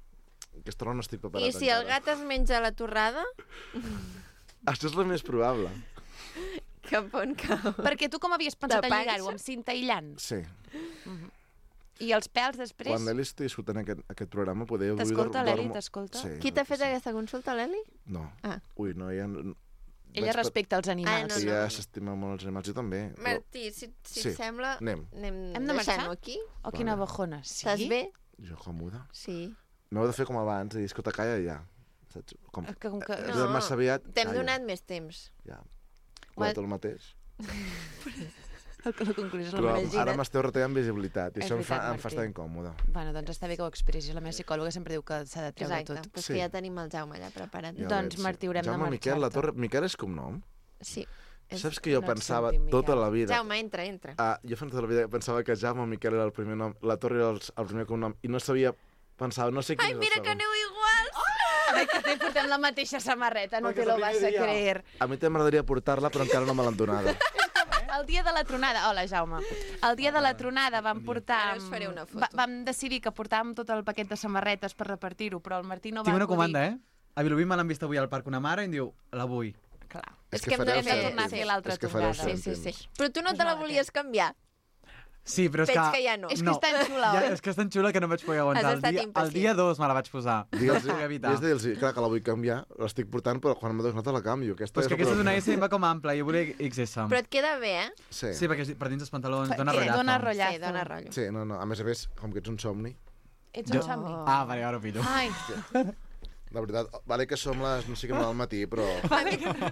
aquesta hora no estic preparat I si el gat es menja la torrada, Això és el més probable. cap on cau? Perquè tu com havies pensat De en lligar-ho? panxa? Amb cinta aïllant? Sí. I els pèls després... Quan l'Eli estigui escoltant aquest programa, podeu... T'escolta, l'Eli, t'escolta? Sí. Qui t'ha fet aquesta consulta, l'Eli? No. Ah. Ui, no, ella... Ella respecta els animals. no. Ella s'estima molt els animals, jo també. Martí, si Sí, et sembla, anem. Hem de marxar? deixant-ho aquí. Oh, quina bajona. Sí? Estàs bé? Jo còmode. Sí. M'heu de fer com abans, i dir, escolta, calla ja. Saps? Com Com que... has de massa aviat... T'hem calla. donat més temps. Ja. Quant el mateix. La conclusió és la Però meva ara m'esteu retallant visibilitat, i És això em fa veritat, estar Martí. incòmode. Bueno, doncs està bé que ho expressis. La meva psicòloga sempre diu que s'ha de treure Exacte, tot. però és Sí. que ja tenim el Jaume allà preparat. Ja Doncs, veig, sí. Martí, haurem de Jaume Miquel, la marxar-te. Torre... Miquel és cognom? Sí. Saps que jo no et pensava sentim, Miquel. tota la vida... Jaume, entra. Jo tota la vida pensava que Jaume Miquel era el primer nom, la Torre era el primer cognom, i no sabia... Pensava, no sé quin Ai, és el mira que segon. aneu iguals! Ai, que te portem la mateixa samarreta, no Perquè te lo és el vas a primer dia. creer. A mi també m'agradaria portar-la, però encara no me l'han donada. El dia de la tronada... Hola, Jaume. El dia de la tronada vam portar... Ara us faré una foto. Vam decidir que portàvem tot el paquet de samarretes per repartir-ho, però el Martí no va Tinc una acudir. comanda, A Vilobí me l'han vist avui al parc una mare i em diu, la vull. Clar. És que hem de fareu fer- tornar a cèntims. fer l'altra És que fareu tongada. Sí. cèntims. Però tu no te la volies canviar? Sí, però és Veig que... que ja no. És que és tan xula, oi? És que és tan xula que no em vaig poder aguantar. Has estat El impacient. dia 2 me la vaig posar. Digue'ls, No vaig evitar. és de dir-los, clar que la vull canviar, l'estic portant, però quan m'ha donat la canvio. Aquesta Però és que aquesta és una S i em va com ampla, jo volia XS. Però et queda bé, Sí. Sí, perquè per dins els pantalons dona Perquè rotllazo. dona rotllazo. Sí, dona rotllo. Sí, no. A més, com que ets un somni, Ets Jo- un somni. Ah, vale, ara ho pillo. Ai, la veritat, vale que som les no sé què del matí, però...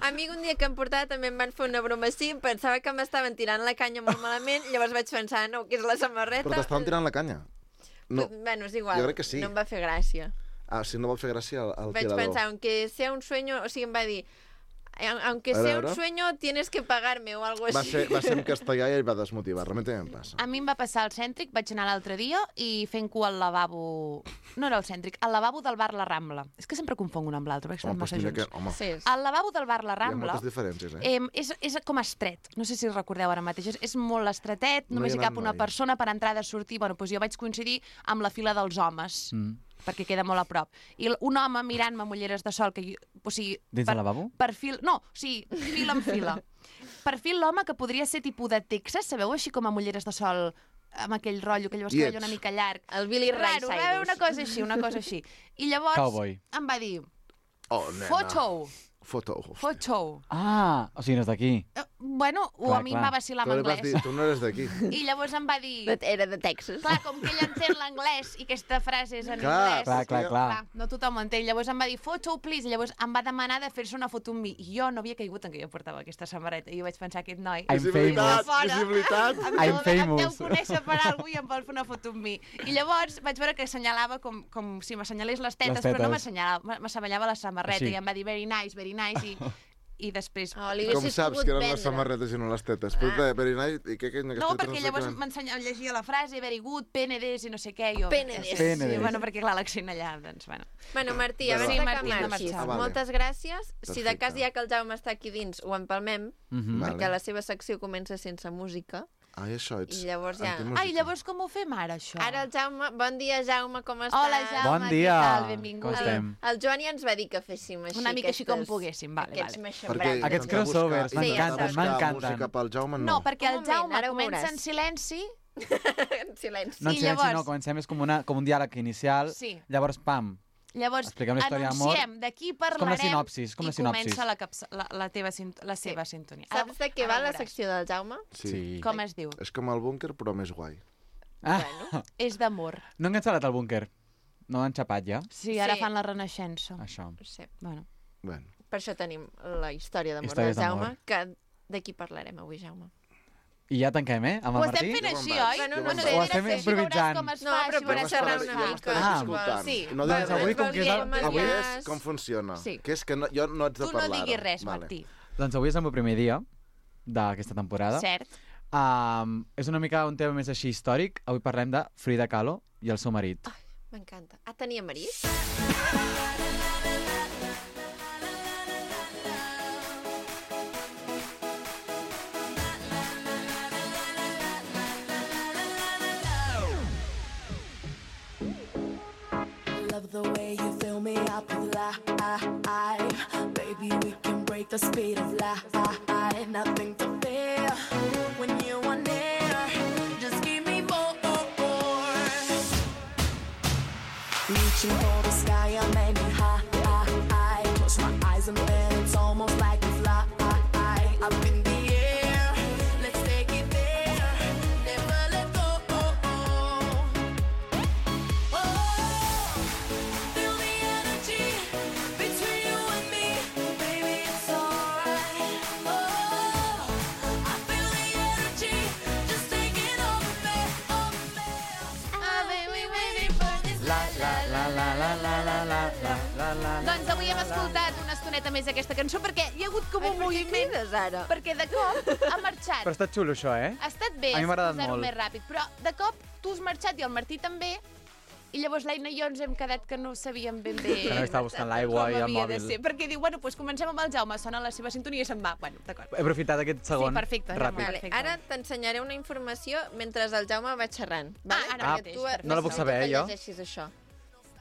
A mi un dia que em portava també em van fer una broma així, em pensava que m'estaven tirant la canya molt malament, llavors vaig pensar, no, que és la samarreta. Però t'estaven tirant la canya. No. Bueno, és igual, Jo crec que sí. no em va fer gràcia. Ah, si no vol fer gràcia al Vaig tirador. pensar, aunque sea un sueño, o sigui, em va dir, aunque A sea un veure. sueño, tienes que pagarme o algo Va així. ser en castellà i ell va desmotivar. Realment també em passa. a mi em va passar al cèntric, vaig anar l'altre dia i fent cua al lavabo... No era el cèntric, al lavabo del bar La Rambla. És que sempre confonc un amb l'altre, perquè estan Home, doncs massa mira junts. que... Home, Sí, Al lavabo del bar La hi ha Rambla moltes diferències, és com estret. No sé si recordeu ara mateix. És molt estretet, No només hi hi he cap anat una mai. persona per entrar i sortir. Bueno, doncs jo vaig coincidir amb la fila dels homes, perquè queda molt a prop. I un home mirant-me amb ulleres de sol, que jo, o sigui... Dins del lavabo? Perfil, no, o sigui, fila en fila. Perfil l'home que podria ser tipus de Texas, sabeu, així com amb ulleres de sol, amb aquell rotllo, que llavors Lleig. cabell una mica llarg. El Billy Ray Raro, va haver una cosa així, una cosa així. I llavors Cowboy. em va dir, Oh, nena. foto, Foto. Hòstia. foto. Ah, o sigui, no és d'aquí. Bueno, o Clar, a mi em clar. va vacilar Tu amb li vas anglès. dir, tu no eres d'aquí. I llavors em va dir... Era de Texas. Clar, com que ell entén l'anglès i aquesta frase és en Clar, anglès... Clar. No tothom ho entén. Llavors em va dir, photo, please. I llavors em va demanar de fer-se una foto amb mi. I jo no havia caigut en que jo portava aquesta samarreta. I jo vaig pensar, aquest noi... I'm Visibilitat, famous. visibilitat. I'm Em deu famous. conèixer per alguna cosa i em vol fer una foto amb mi. I llavors vaig veure que assenyalava com si m'assenyalés les tetes, Les però no tetes. m'assenyalava, m'assenyalava la samarreta Així. i em va dir very nice, i després... Oh, li Com haguessis saps pogut que eren vendre. les samarretes i no les tetes? Però very nice, i què No, perquè llavors llegia la frase, very good, PNDs i no sé què. Jo, PNDs. Sí, PNDs. bueno, perquè clar, l'accent allà, doncs, bueno. Bueno, Martí, Bueno, abans sí, de Martí, que hem de marxis, marxar. Ah, vale. moltes gràcies. Si de cas Perfecte. ja que el Jaume està aquí dins, ho empalmem, Mhm. Vale. perquè la seva secció comença sense música. Ai, això, ets... I llavors ja- antimúsica. Ai, llavors com ho fem ara, això? Ara el Jaume... Bon dia, Jaume, com estàs? Hola, Jaume. Bon què dia. tal? Benvingut. Com estem? El Joan ja ens va dir que féssim així. Una mica així com poguéssim, vale, Aquests vale. meixambrans. Aquests intentar crossovers, buscar- m'encanten, intentar buscar m'encanten. música pel Jaume, no. No, perquè Un el moment, Jaume ara ho comença veuràs. en silenci. En silenci. No, en I silenci llavors- no, comencem és com un diàleg inicial, Sí. llavors, pam, Llavors, Expliquem la història d'amor. anunciem, d'aquí com la parlarem sinopsis, com la i sinopsis. comença la seva sintonia. Saps de què Ara va ho la veuràs. secció del Jaume? Sí. Com es diu? És com el búnquer, però més guai. Ah, És d'amor. no han cancel·lat el búnquer. No han xapat ja, Sí, ara Sí. fan la renaixença. això. Sí. Bueno. Bueno, Per això tenim la història d'amor Històries del Jaume, d'amor. que d'aquí parlarem avui, Jaume. I ja tanquem, amb Ho el estem Martí? fent Jo així, me'n vaig, oi? Bueno, jo no me'n sé, vaig. Ho estem Així veuràs improvisant. com es No, fa, però així veuràs podem xerrar com es una fa. mica. Ah, escoltant. sí. No, Doncs avui, com que és el... avui Avui és com funciona. Sí. Que és que no, jo no haig de Tu parlar. no diguis ara. res, Vale. Martí. Doncs avui és el meu primer dia d'aquesta temporada. Cert. És una mica un tema més així històric. Avui parlem de Frida Kahlo i el seu marit. M'encanta. Ah, tenia marit? Love the way you fill me up with life. Baby, we can break the speed of light. Nothing to fear when you are near. Just give me more. Reaching for the sky, I'm aiming high. Close my eyes and then it's almost like a fly. Up in the air, let's take it there. Never let go. Feel the energy between you and me, baby, it's alright. I feel the energy just taking over me. I've been waiting for this. Doncs avui hem escoltat una estoneta més aquesta cançó perquè hi ha hagut com un moviment. Ara? Perquè de cop ha marxat. Però està xulo, això, eh? Ha estat bé, A mi m'ha agradat posar-ho molt. més ràpid, però de cop tu has marxat i el Martí també, i llavors l'Aina i jo ens hem quedat que no sabíem ben bé Que no estava buscant l'aigua com i el havia de mòbil. ser. Perquè diu, bueno, doncs comencem amb el Jaume, sona la seva sintonia i se'n va. Bueno, d'acord. He aprofitat aquest segon Sí, perfecte, Jaume. ràpid. Vale, Perfecte. ara t'ensenyaré una informació mentre el Jaume va xerrant. Vale? ara Perquè mateix, tu perfecte. No la puc saber, que jo? llegeixis això.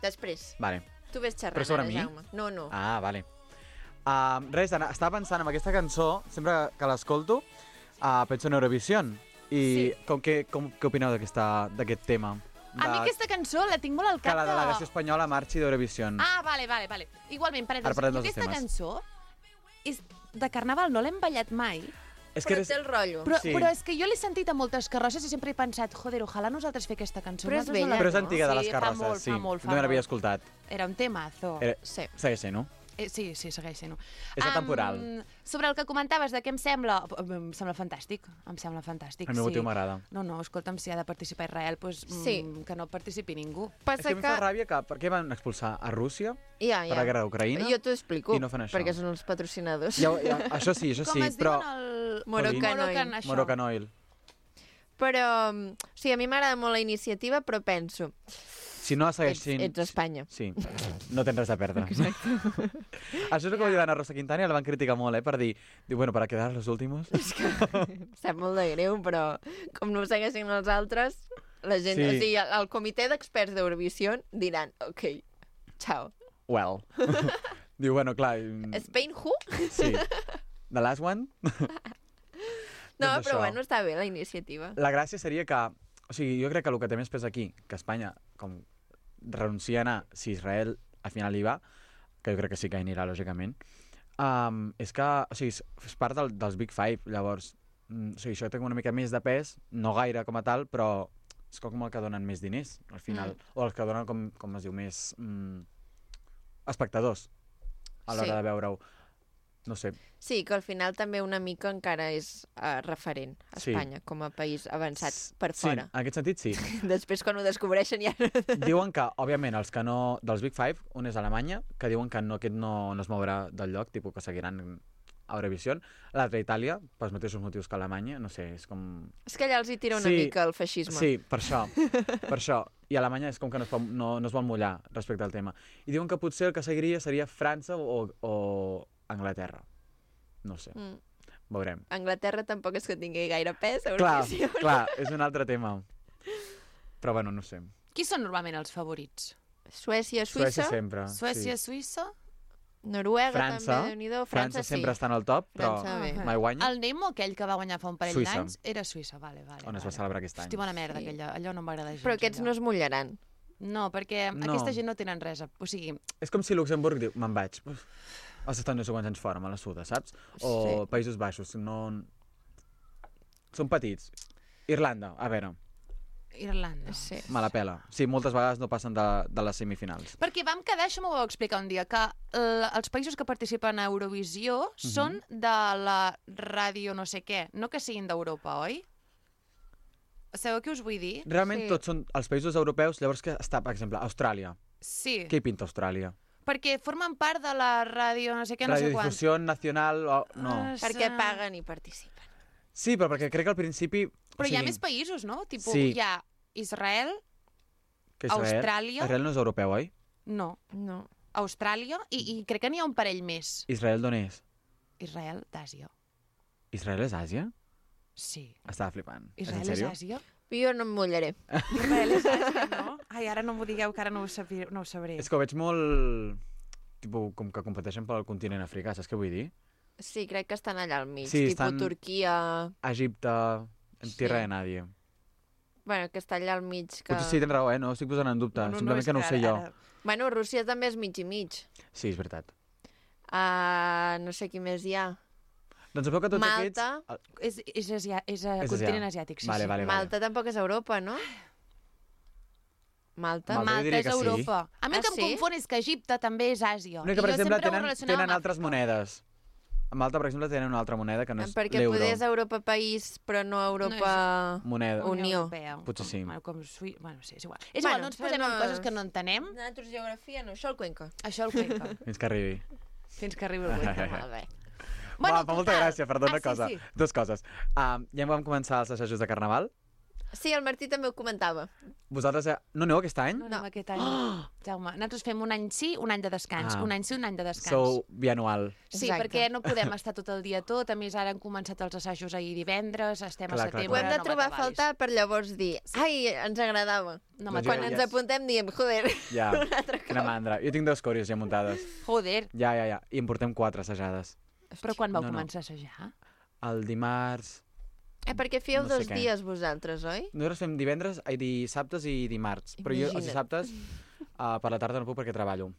Després. Vale. Tu ves xerrant Però sobre ara, mi? Jaume. No. Ah, vale. Res, estava pensant en aquesta cançó, sempre que l'escolto, penso en Eurovision. I què opineu d'aquest tema? A mi aquesta cançó la tinc molt al Que cap la delegació espanyola marxi d'Eurovision. Ah, vale. Igualment, Ara parèntesis, parlem jo dels aquesta temes. cançó és de Carnaval, no l'hem ballat mai, És que Però té el rotllo. però, Sí. però és que jo l'he sentit a moltes carrosses i sempre he pensat, joder, ojalà nosaltres fer aquesta cançó. Però és Nosaltres no vella, la- Però és antiga de les Sí, carrosses, fa molt, sí. fa molt, No l'havia escoltat. Era un temazo. Sí. Segueix sent, no? Sí, segueix sent-ho. És atemporal. Sobre el que comentaves de què em sembla fantàstic, em sembla fantàstic. El meu motiu m'agrada. No, escolta'm, si ha de participar Israel, doncs, Sí. que no participi ningú. És Passa que em fa ràbia que... Per què van expulsar a Rússia Ja. per la guerra d'Ucraïna? Jo t'ho explico, I no fan això. perquè són els patrocinadors. Això sí, Com es però... diuen el... Moroccan Moroccan, Oil. això. Moroccan Oil. Però, o sigui, a mi m'agrada molt la iniciativa, però penso, Si no segueix sent... ets Espanya. Sí, no tens res a perdre. Exacte. Això és el que va dir l'Anna Rosa Quintana i la van criticar molt, per bueno, para quedar los últimos. Em sap molt de greu, però com no ho segueixin els altres, la gent, Sí. o sigui, el comitè d'experts d'Eurovisió diran, ok, ciao. Well. Diu, bueno, clar... Spain who? Sí. The last one? No, Doncs però això. bueno, està bé la iniciativa. La gràcia seria que... O sigui, jo crec que el que té més pes aquí, que Espanya, com renuncia a anar, si Israel al final hi va, que jo crec que sí que hi anirà, lògicament, és que, o sigui, és part dels Big Five, llavors, o sigui, això té una mica més de pes, no gaire com a tal, però és com el que donen més diners, al final, o els que donen, com es diu, més espectadors a l'hora Sí. de veure-ho. No sé, Sí, que al final també una mica encara és referent a Sí. Espanya, com a país avançat per sí, fora. en aquest sentit sí. Després, quan ho descobreixen, ja... Diuen que, òbviament, els que no... Dels Big Five, un és Alemanya, que diuen que aquest no es mourà del lloc, tipus que seguiran a Eurovision. L'altre, Itàlia, pels mateixos motius que Alemanya, no sé, és com... És que allà els hi tira una Sí, mica el feixisme. Sí, per això. I Alemanya és com que no es vol mullar respecte al tema. I diuen que potser el que seguiria seria França o Anglaterra. No sé, veurem. Anglaterra tampoc és que tingui gaire pes a Clar, Eurovisió. clar, és un altre tema. Però bueno, no sé. Qui són normalment els favorits? Suècia, Suècia Suïssa, sempre. Suècia, sí. Suïssa? Noruega França. també, Déu-n'hi-do. França sí. sempre està en el top, però França bé. mai guanya. El Nemo, aquell que va guanyar fa un parell Suïssa. d'anys, era Suïssa, vale. On es va celebrar aquest any. Hosti, bona merda, Sí. allò no m'agrada gens. Però aquests no es mullaran. No, perquè No. aquesta gent no tenen res. O sigui, És com si Luxemburg diu, me'n vaig. Has estat no sé quants anys fora, me la suda, saps? O Sí. Països Baixos, no... Són petits. Irlanda, a veure, Irlanda. Sí. me la pela. Sí, moltes vegades no passen de les semifinals. Perquè vam quedar, això m'ho vau explicar un dia, que els països que participen a Eurovisió són de la ràdio no sé què, no que siguin d'Europa, oi? Sabeu què us vull dir? Realment Sí. tots són els països europeus, llavors que està, per exemple, Austràlia. Sí, Què hi pinta Austràlia? perquè formen part de la ràdio no sé què, no sé quant. Radiodifusió nacional o... No. Perquè paguen i participen. Sí, però perquè crec que al principi... Però hi ha més països, no? Tipo, Sí. hi ha Israel, que Israel, Austràlia- Israel no és europeu, oi? no, No. Austràlia, i crec que n'hi ha un parell més. Israel d'on és? Israel d'Àsia. Israel és Àsia? Sí. Estava flipant. Israel és és en sèrio? Àsia? Jo no em mullaré. Israel és Àsia, no? Ai, ara no m'ho digueu, que ara no ho sabré. És que ho veig molt... Tipo, com que competeixen pel continent africà, saps què vull dir? Sí, crec que estan allà al mig. Sí, Tipo estan- Turquia... Egipte, en Sí. tierra de nadie. Bueno, que està allà al mig. Que... Potser sí, tens raó, no ho estic posant en dubte. Simplement que no ho sé jo. Bueno, Rússia també és mig i mig. Sí, és veritat. No sé qui més hi ha. Doncs sabeu que tots Malta. aquests... És continent asiàtic, sí. Vale, sí. vale. Malta tampoc és Europa, no? Malta? Malta. jo Malta diria és que sí. Europa. A mi Ah, el que em sí? confon és que Egipte també és Àsia. No, que, per I jo exemple, sempre ho relacionava tenen amb altres Àfrica. monedes. A Malta, per exemple, tenen una altra moneda que no és Perquè l'euro. poder és Europa país, però no Europa... Moneda. Unió. Europea. Potser sí. Com Bueno, sí, és igual. És igual, no ens posem en coses que no entenem. Nosaltres geografia no, això el Cuenca. Això el Cuenca. Fins que arribi. Fins que arribi el Cuenca. Molt bé. Bueno, fa molta gràcia, perdó, una sí, cosa. sí. Dues coses. Ja vam començar els assajos de Carnaval. Sí, el Martí també ho comentava. Vosaltres no aneu aquest any? No, anem aquest any. Jaume, nosaltres fem un any sí, un any de descans. Ah. Un any sí, un any de descans. Sou bianual. Sí, Exacte. perquè no podem estar tot el dia tot. A més, ara han començat els assajos ahir divendres, estem Clar, a clar, setembre. Ho hem de no trobar a m'atabalis. faltar per llavors dir ai, ens agradava. No Doncs Quan jo- ens ja- apuntem diem, joder, Ja, un altre quina cop. mandra. Jo tinc 2 còries ja muntades. Joder, Ja. I en portem 4 assajades. però quan vau No, no. començar a assajar? El dimarts... Perquè fèieu No sé 2 què. dies vosaltres, oi? Nosaltres fem dissabtes i dimarts. Però jo els Imagina't. dissabtes per la tarda no puc perquè treballo.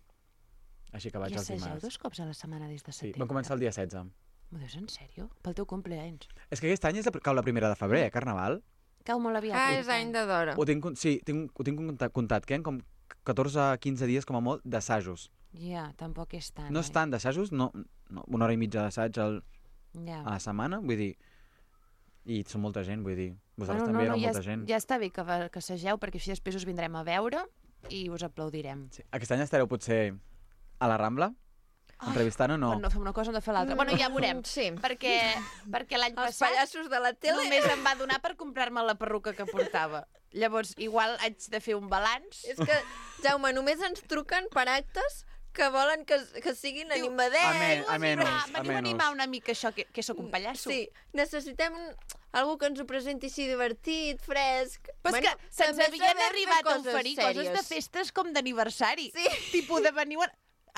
Així que vaig I els assageu dimarts. 2 cops a la setmana des de Sí, setembre? vam començar el dia 16. M'ho dius en sèrio? Pel teu compleanys. És que aquest any cau la 1 de febrer, Carnaval. Cau molt aviat. Ah, aquest és any de d'hora. Ho tinc, sí, ho tinc comptat. Queden com 14-15 dies com a molt d'assajos. Ja, tampoc és tant. No és tant d'assajos, no, una hora i mitja d'assaig Ja. a la setmana, vull dir... I són molta gent, vull dir. Vosaltres també éreu molta gent. Ja està bé que assageu, perquè així després us vindrem a veure i us aplaudirem. Sí. Aquest any estareu potser a la Rambla? Entrevistant o no? Quan no fem una cosa, hem de fer l'altra. Bueno, ja veurem. Sí. Perquè l'any Els passat pallassos de la tele. només em va donar per comprar-me la perruca que portava. Llavors, igual haig de fer un balanç. És que, Jaume, només ens truquen per actes que volen que siguin animadets. Veniu a animar una mica això, que sóc un pallasso. Sí, necessitem algú que ens ho presenti així divertit, fresc. Però és que se'ns també havien sabem fer arribat a oferir coses de sèries. festes com d'aniversari. Sí. Tipus de veniu a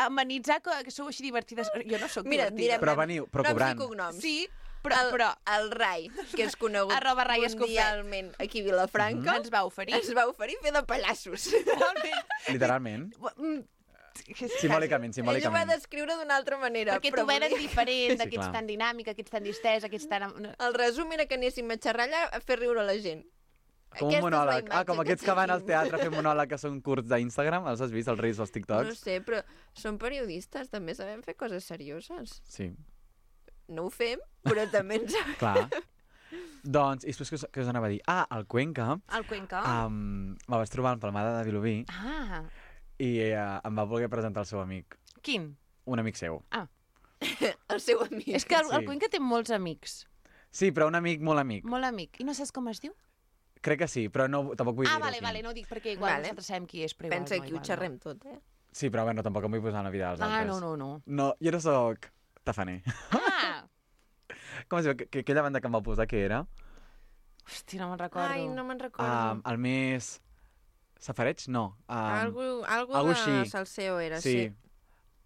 amenitzar que sou així divertides. Jo no sóc Mira, divertida. direm Però veniu, però noms cobrant. i cognoms. Sí, però El Rai, que és conegut Arroba Rai Escofet. mundialment aquí a Vilafranca, ens va oferir. ens va oferir fer de pallassos. Literalment. Simbòlicament, Ell ho va simbòlicament. descriure d'una altra manera. Perquè però t'ho venen vull dir- diferent, Sí, aquests clar. tan dinàmic, aquests tan distès, aquests tan... El resum era que anéssim a xerrar allà a fer riure la gent. Com Aquesta és un la monòleg. imatge Com que aquests que van al tenim. teatre a fer monòleg que són curts d'Instagram, els has vist, els reels, els No TikToks? sé, però som periodistes, també sabem fer coses serioses. Sí, No ho fem, però també ens... clar. Doncs, i després què us anava a dir? Ah, al Cuenca El Cuenca. me vaig trobar empalmada de Vilobí Ah, i em va voler presentar el seu amic, quin? un amic seu. El seu amic. És que el Sí. Cuenca té molts amics. Sí, però un amic molt amic. Molt amic. I no saps com es diu? Crec que sí, però no, tampoc vull dir-ho. Vale, aquí. no ho dic perquè igual Vale. nosaltres sabem qui és, però igual Pensa no, que ho igual xerrem tot, eh? Sí, però bueno, tampoc em vull posar en la vida dels altres. No. No, jo no sóc tafaner. Ah! Com es diu? Aquella banda que em va posar, què era? Hosti, no me'n recordo. Ai, no me'n recordo. El més... Safareig? No. Algo algo de així. Salseo era, Sí. sí.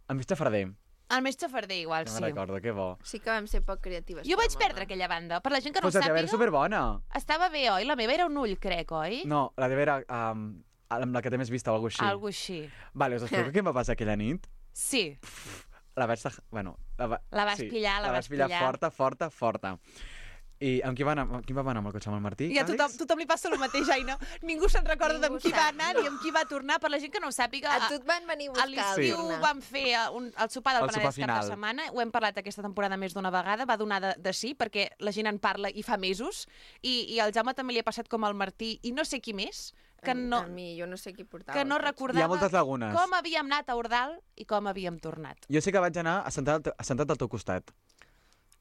El més xafarder. El més xafarder, igual, No sí. me'n recordo, que bo. Sí que vam ser poc creatives. Jo vaig però perdre molt. aquella banda. Per la gent que no Pues ho la teva era sàpiga, superbona. estava bé, oi? La meva era un ull, crec, oi? No, la teva era amb la que té més vista o alguna cosa així. Algo així. Vale, us explico què em va passar aquella nit? Sí. La vaig... Bueno, La vas pillar, la la vas vaig pillar pillar. forta. I amb qui va anar? Amb qui va anar amb el cotxe? Amb el Martí? I a tothom li passa el mateix, ai, no? Ningú se'n recorda Ningú amb qui va sap, anar no. ni amb qui va tornar. Per la gent que no ho sàpiga, A tu et van venir a a buscar. l'estiu Lorna. vam fer el sopar del El sopar Penedès cap final. de setmana. Ho hem parlat aquesta temporada més d'una vegada. Va donar de sí, perquè la gent en parla i fa mesos. I al Jaume també li ha passat com al Martí i no sé qui més, que no, A mi, jo no sé qui portava. que no el cotxe. recordava Hi ha moltes lagunes. com havíem anat a Ordal i com havíem tornat. Jo sé que vaig anar assentat al teu costat.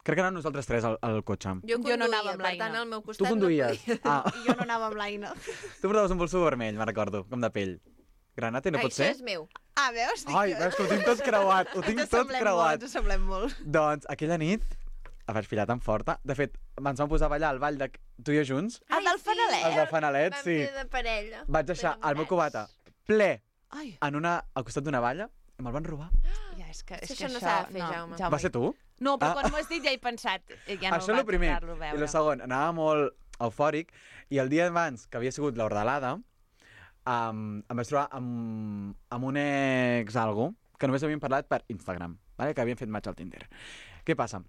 Crec que anàvem nosaltres tres al cotxe. Jo Jo no anava amb per tant, l'Aina. al meu costat Tu conduïes. no podia. Ah, I jo no anava amb l'Aina. tu portaves un bolso vermell, me'n recordo, com de pell. Granate, no pot Això ser? és meu. Ah, veus? Ai, veus que ho tinc tot creuat, ho tinc tot creuat. Ens semblem molt. Doncs aquella nit la vaig pillar tan forta. De fet, ens vam posar a ballar al ball de tu i jo junts. El del Fanalet? El del Fanalet, Vam sí. fer de parella. Vaig deixar el meu d'enamorats. cubata ple Ai, al costat d'una valla i me'l van robar. ja, és que Això no s'ha de fer, Jaume. Va ser tu? No, però Ah. quan m'ho has dit ja he pensat. Ja no Això és el vaig primer. tornar-lo a I veure. el segon, anava molt eufòric, i el dia abans, que havia sigut l'Hordelada, em vaig trobar amb un ex algo que només havíem parlat per Instagram, vale? Que havien fet match al Tinder. Què passa?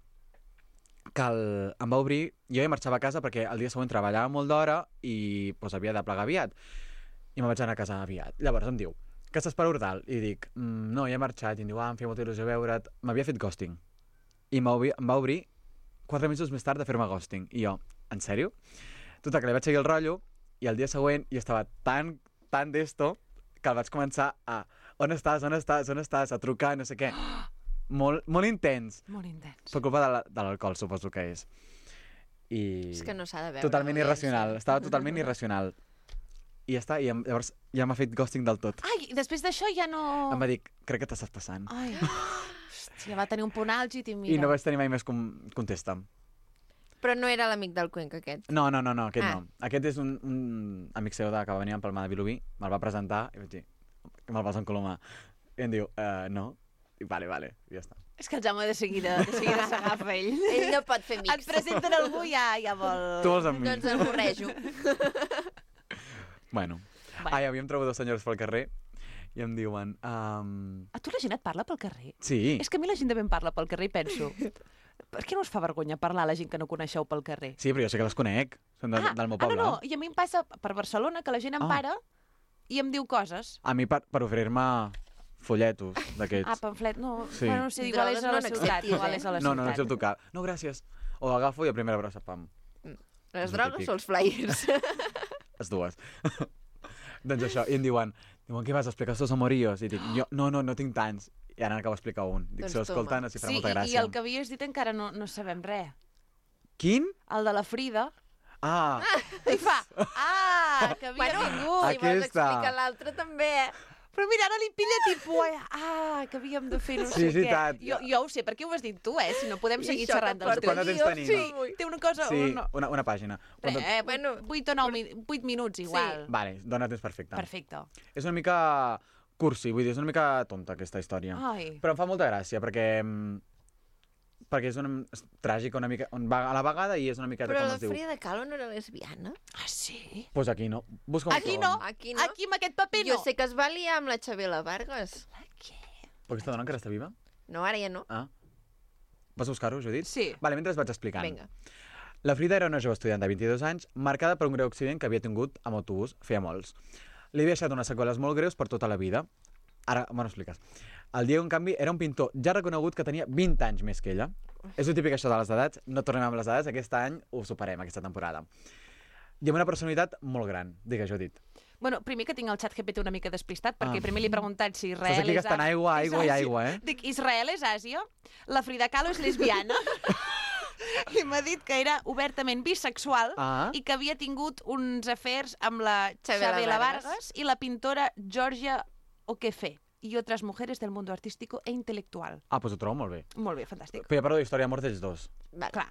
Que em va obrir, jo ja marxava a casa perquè el dia següent treballava molt d'hora i pues, havia de plegar aviat. I me'n vaig anar a casa aviat. Llavors em diu, que estàs per Ordal? I dic, no, ja he marxat. I em diu, em feia molta il·lusió veure't. M'havia fet ghosting. I em va obrir 4 mesos més tard de fer-me ghosting. I jo, en sèrio? Total, que li vaig seguir el rotllo i el dia següent jo estava tan d'esto que el vaig començar a on estàs, a trucar, no sé què. Molt intens. Molt intens. Per culpa de l'alcohol, suposo que és. I... És que no s'ha de veure. Totalment irracional. Estava totalment irracional. I ja està, i llavors ja m'ha fet ghosting del tot. Ai, i després d'això ja no... Em va dir, crec que t'estàs passant. Ai, hòstia, va tenir un punt àlgid i mira... I no vaig tenir mai més contesta. Però no era l'amic del Cuenca, aquest. No, aquest no. Aquest és un amic seu que va venir a Palma de Vilobí, me'l va presentar i vaig dir, que me'l vas encolomar. I em diu, no. I vale, ja està. És que el Jaume de seguida s'agafa ell. Ell no pot fer Et amics. presenten algú i ja vol... Tu vols amb mi? Doncs el borrejo. Bueno. Ai, havíem trobat 2 senyors pel carrer i em diuen... A tu la gent et parla pel carrer? Sí. És que a mi la gent de ben parla pel carrer i penso... Per què no us fa vergonya parlar a la gent que no coneixeu pel carrer? Sí, però jo sé que les conec. Són del meu poble. No, i a mi em passa per Barcelona que la gent em para i em diu coses. A mi per oferir-me folletos d'aquests. Pamflet, no. Sí. Bueno, no sé, igual és a la ciutat. Igual és a la ciutat. No accepto cap. No, gràcies. O agafo i a primera brossa, pam. Les drogues o els flyers? Les dues. Doncs això, i em diuen, què vas explicar estos amoríos? I dic, jo, no tinc tants. I ara n'acabo d'explicar un. Dic, Doncs si l'escolten, els hi farà molta gràcia. I el que havies dit encara no sabem res. Quin? El de la Frida. Ah! I fa, que havia vingut. Si vols explicar l'altre també, Però mira, ara li pilla tipus, que havíem de fer no sé què. Tant. Jo ho sé, perquè ho has dit tu, si no podem seguir xerrant dels Quant de temps tenim? Sí, té una cosa... Sí, una pàgina. 8 o 8 minuts, igual. Sí. Vale, dona temps perfecte. Perfecte. És una mica cursi, vull dir, és una mica tonta aquesta història. Ai. Però em fa molta gràcia, perquè és tràgica una mica, a la vegada i és una miqueta però com la es diu. Frida Kahlo no era lesbiana? Sí? Doncs pues aquí no. Busca un Aquí segon. no. Aquí amb aquest paper no. Jo sé que es va liar amb la Xabela Vargas. Però aquesta dona encara està viva? No, ara ja no. Vas buscar-ho, Judit? Sí. Vale, mentre es vaig explicant. Vinga. La Frida era una jove estudiant de 22 anys, marcada per un greu accident que havia tingut amb autobús, feia molts. Li havia deixat unes seqüeles molt greus per tota la vida. Ara m'ho expliques. El Diego, en canvi, era un pintor ja reconegut que tenia 20 anys més que ella. És el típic això de les edats. No tornem amb les edats. Aquest any ho superem, aquesta temporada. I amb una personalitat molt gran. Digues, Judit. Bueno, primer que tinc el xat GPT una mica despistat, perquè primer li he preguntat si Israel Estàs aquí gastant aigua i aigua, Dic, Israel és Àsia? La Frida Kahlo és lesbiana? I m'ha dit que era obertament bisexual i que havia tingut uns afers amb la Xabela Vargas i la pintora Georgia O'Keeffe i altres mujeres del mundo artístico e intelectual. Doncs ho trobo molt bé. Molt bé, fantàstic. Però ja parlo d'història d'amor dels dos. Vale. Clar.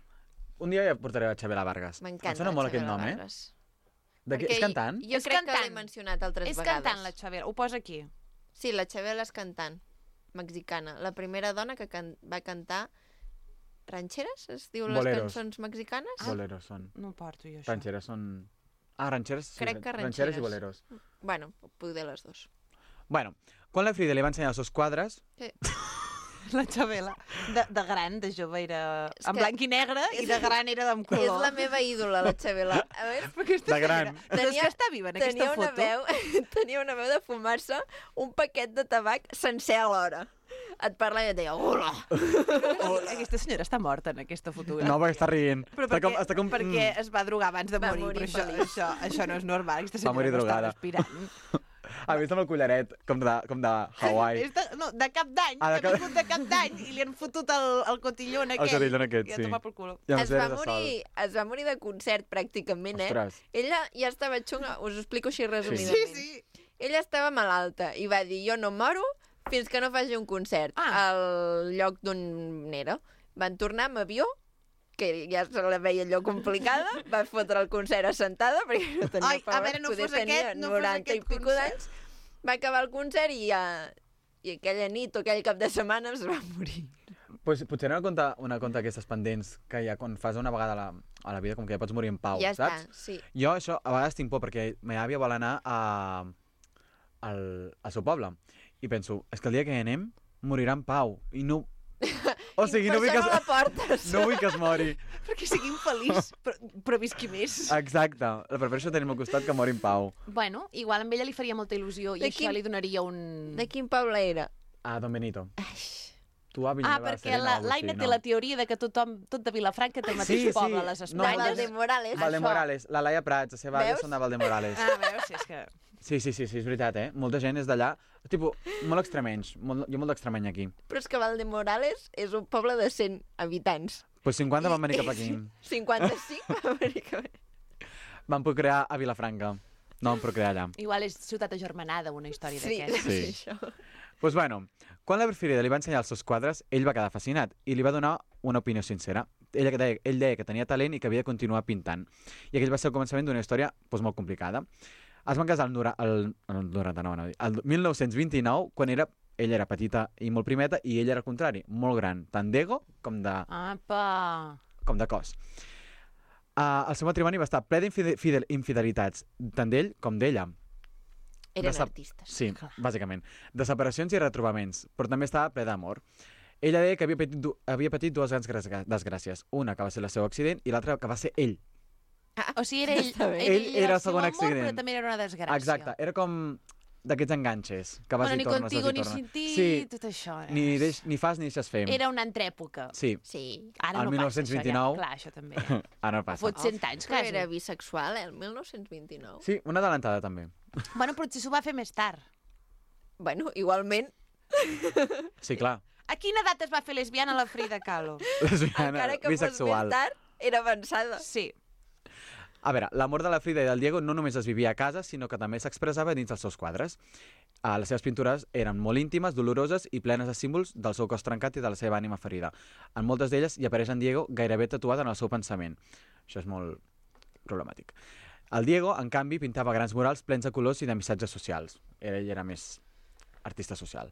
Un dia ja portaré a Xabela Vargas. M'encanta. Em sona molt aquest nom, És cantant? Jo crec que l'he mencionat altres vegades. És cantant, la Xabela. Ho posa aquí. Sí, la Xabela és cantant. Mexicana. La primera dona que va cantar rancheres, es diu les cançons mexicanes? Boleros són. No porto jo això. Rancheres són... rancheres, sí. Crec que rancheres i boleros. Bueno, poder les dos. Bueno, quan la Frida li va ensenyar els seus quadres... Sí. La Xabela, de gran, de jove era en blanc i negre i de gran era amb color. És la meva ídola, la Xabela. A veure, de gran. És que està viva en aquesta foto. Tenia una veu de fumar-se un paquet de tabac sencer alhora. Et parla i et deia, hola! Aquesta senyora està morta en aquesta fotografia. No, perquè està rient. Però perquè es va drogar abans de morir, però això no és normal. Aquesta senyora no està respirant. Ha vist amb el collaret, com de Hawaii. De cap d'any, que ha vingut de cap d'any i li han fotut el cotillón aquest. El cotillón aquest, sí. I a tomar pel culo. Es va morir de concert, pràcticament, Ostres. Ella ja estava xunga, us ho explico així resumidament. Sí. Ella estava malalta i va dir, jo no moro fins que no faci un concert al lloc d'on era. Van tornar amb avió, que ja se la veia allò complicada, va fotre el concert assentada, perquè no tenia poder, poder tenia 90 i pico d'anys. Va acabar el concert i aquella nit o aquell cap de setmana es va morir. Pues, potser una conta d'aquestes pendents que hi ha quan fas una vegada a la vida, com que ja pots morir en pau, Ja saps? està, sí. Jo això a vegades tinc por perquè ma àvia vol anar al seu poble i penso, és que el dia que hi anem morirà en pau i no... O sigui, no vull Per que, això no la portes. no vull que es mori. Perquè sigui infeliç, però visqui més. Exacte. La prefereixo tenir al costat que mori en pau. Bueno, igual amb ella li faria molta il·lusió i De això quin- li donaria un... De quin poble era? Ah, Don Benito. Ai, Tu a Vilanova de perquè Serena o l'Aina Agustí, té la teoria de que tot de Vilafranca té el mateix poble a les No, de Espanyes. Valdemorales. Valdemorales. La Laia Prats, la seva àvia Veus? són de Valdemorales. Ah, veus? És que... Sí, és veritat, eh? Molta gent és d'allà. Tipo, molt extremenys. Hi ha molt d'extremeny aquí. Però és que Valdemorales és un poble de 100 habitants. Pues 50 van venir cap aquí. 55 va venir cap aquí. Van procrear a Vilafranca. No van procrear allà. Igual és ciutat agermanada, una història Sí, d'aquestes. Sí. sí, això. Pues bueno, quan la preferida li va ensenyar els seus quadres, ell va quedar fascinat i li va donar una opinió sincera. Ell deia que tenia talent i que havia de continuar pintant. I aquell va ser el començament d'una història doncs, molt complicada. Es van casar el 1929, quan ella era petita i molt primeta, i ell era al contrari, molt gran, tant d'ego com Apa! de cos. El seu matrimoni va estar ple d'infidelitats, tant d'ell com d'ella. Eren De sap- artistes. Sí, bàsicament. De separacions i retrobaments, però també estava ple d'amor. Ella deia que havia patit dues grans desgràcies. Una que va ser el seu accident i l'altra que va ser ell. O sigui, era ell, Està bé. Ell era el seu segon amor, accident. però també era una desgràcia. Exacte, era com d'aquests enganxes, que vas Bueno, i ni tornes, contigo vas i ni tornes. sin ti, Sí, tot això. ni fas ni deixes fer. Era una altra època. Sí, Sí. Ara El no 1929. passa, això, ja. Clar, això també. ara no passa. Fot 100 anys, Però quasi. era bisexual, el 1929. Sí, una adelantada també. Bueno, potser s'ho va fer més tard. Bueno, igualment, Sí, clar. A quina edat es va fer lesbiana la Frida Kahlo? Lesbiana, encara que bisexual. fos més tard, era avançada. Sí. A veure, l'amor de la Frida i del Diego no només es vivia a casa, sinó que també s'expressava dins dels seus quadres. Les seves pintures eren molt íntimes, doloroses i plenes de símbols del seu cos trencat i de la seva ànima ferida. En moltes d'elles hi apareix en Diego gairebé tatuat en el seu pensament. Això és molt problemàtic. El Diego, en canvi, pintava grans murals plens de colors i de missatges socials. Ell era més artista social.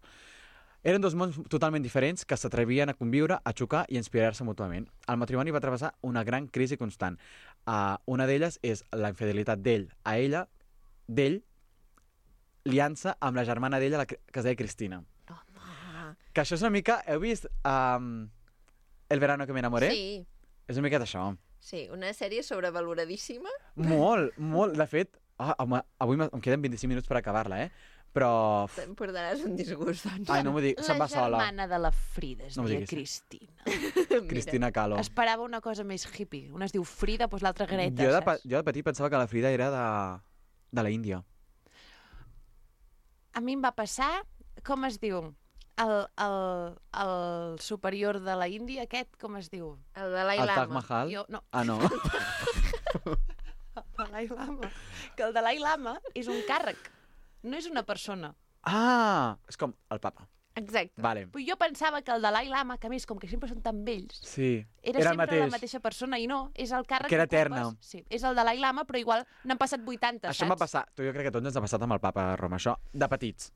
Eren dos mons totalment diferents que s'atrevien a conviure, a xocar i a inspirar-se mútuament. El matrimoni va travessar una gran crisi constant. Una d'elles és la infidelitat d'ell a ella, d'ell, liança amb la germana d'ella, que es deia Cristina. Home. Que això és una mica... Heu vist El verano que me enamoré? Sí, És una mica d'això. sí, una sèrie sobrevaloradíssima. Molt, molt. De fet, home, avui em queden 25 minuts per acabar-la, però... Te'n portaràs un disgust, doncs. Ai, no m'ho dic, se'n va La sola. germana de la Frida es No m'ho deia diguis. Cristina. Cristina Kahlo. Esperava una cosa més hippie. Una es diu Frida, doncs l'altra Greta, Jo saps? de petit pensava que la Frida era de la Índia. A mi em va passar, com es diu? El superior de la Índia, aquest, com es diu? El Dalai El Taj Lama. Mahal? Jo, no, Ah, no? el Dalai Lama. Que el Dalai Lama és un càrrec, no és una persona. Ah, és com el papa. Exacte. Vale. Però jo pensava que el Dalai Lama, que a més, com que sempre són tan vells, Sí, era el sempre la mateix. mateixa persona i no, és el càrrec Que era ocupes. eterna. Sí, és el Dalai Lama, però igual n'han passat 80, Això saps? em va passar, jo crec que a tots ens ha passat amb el papa a Roma, això, de petits.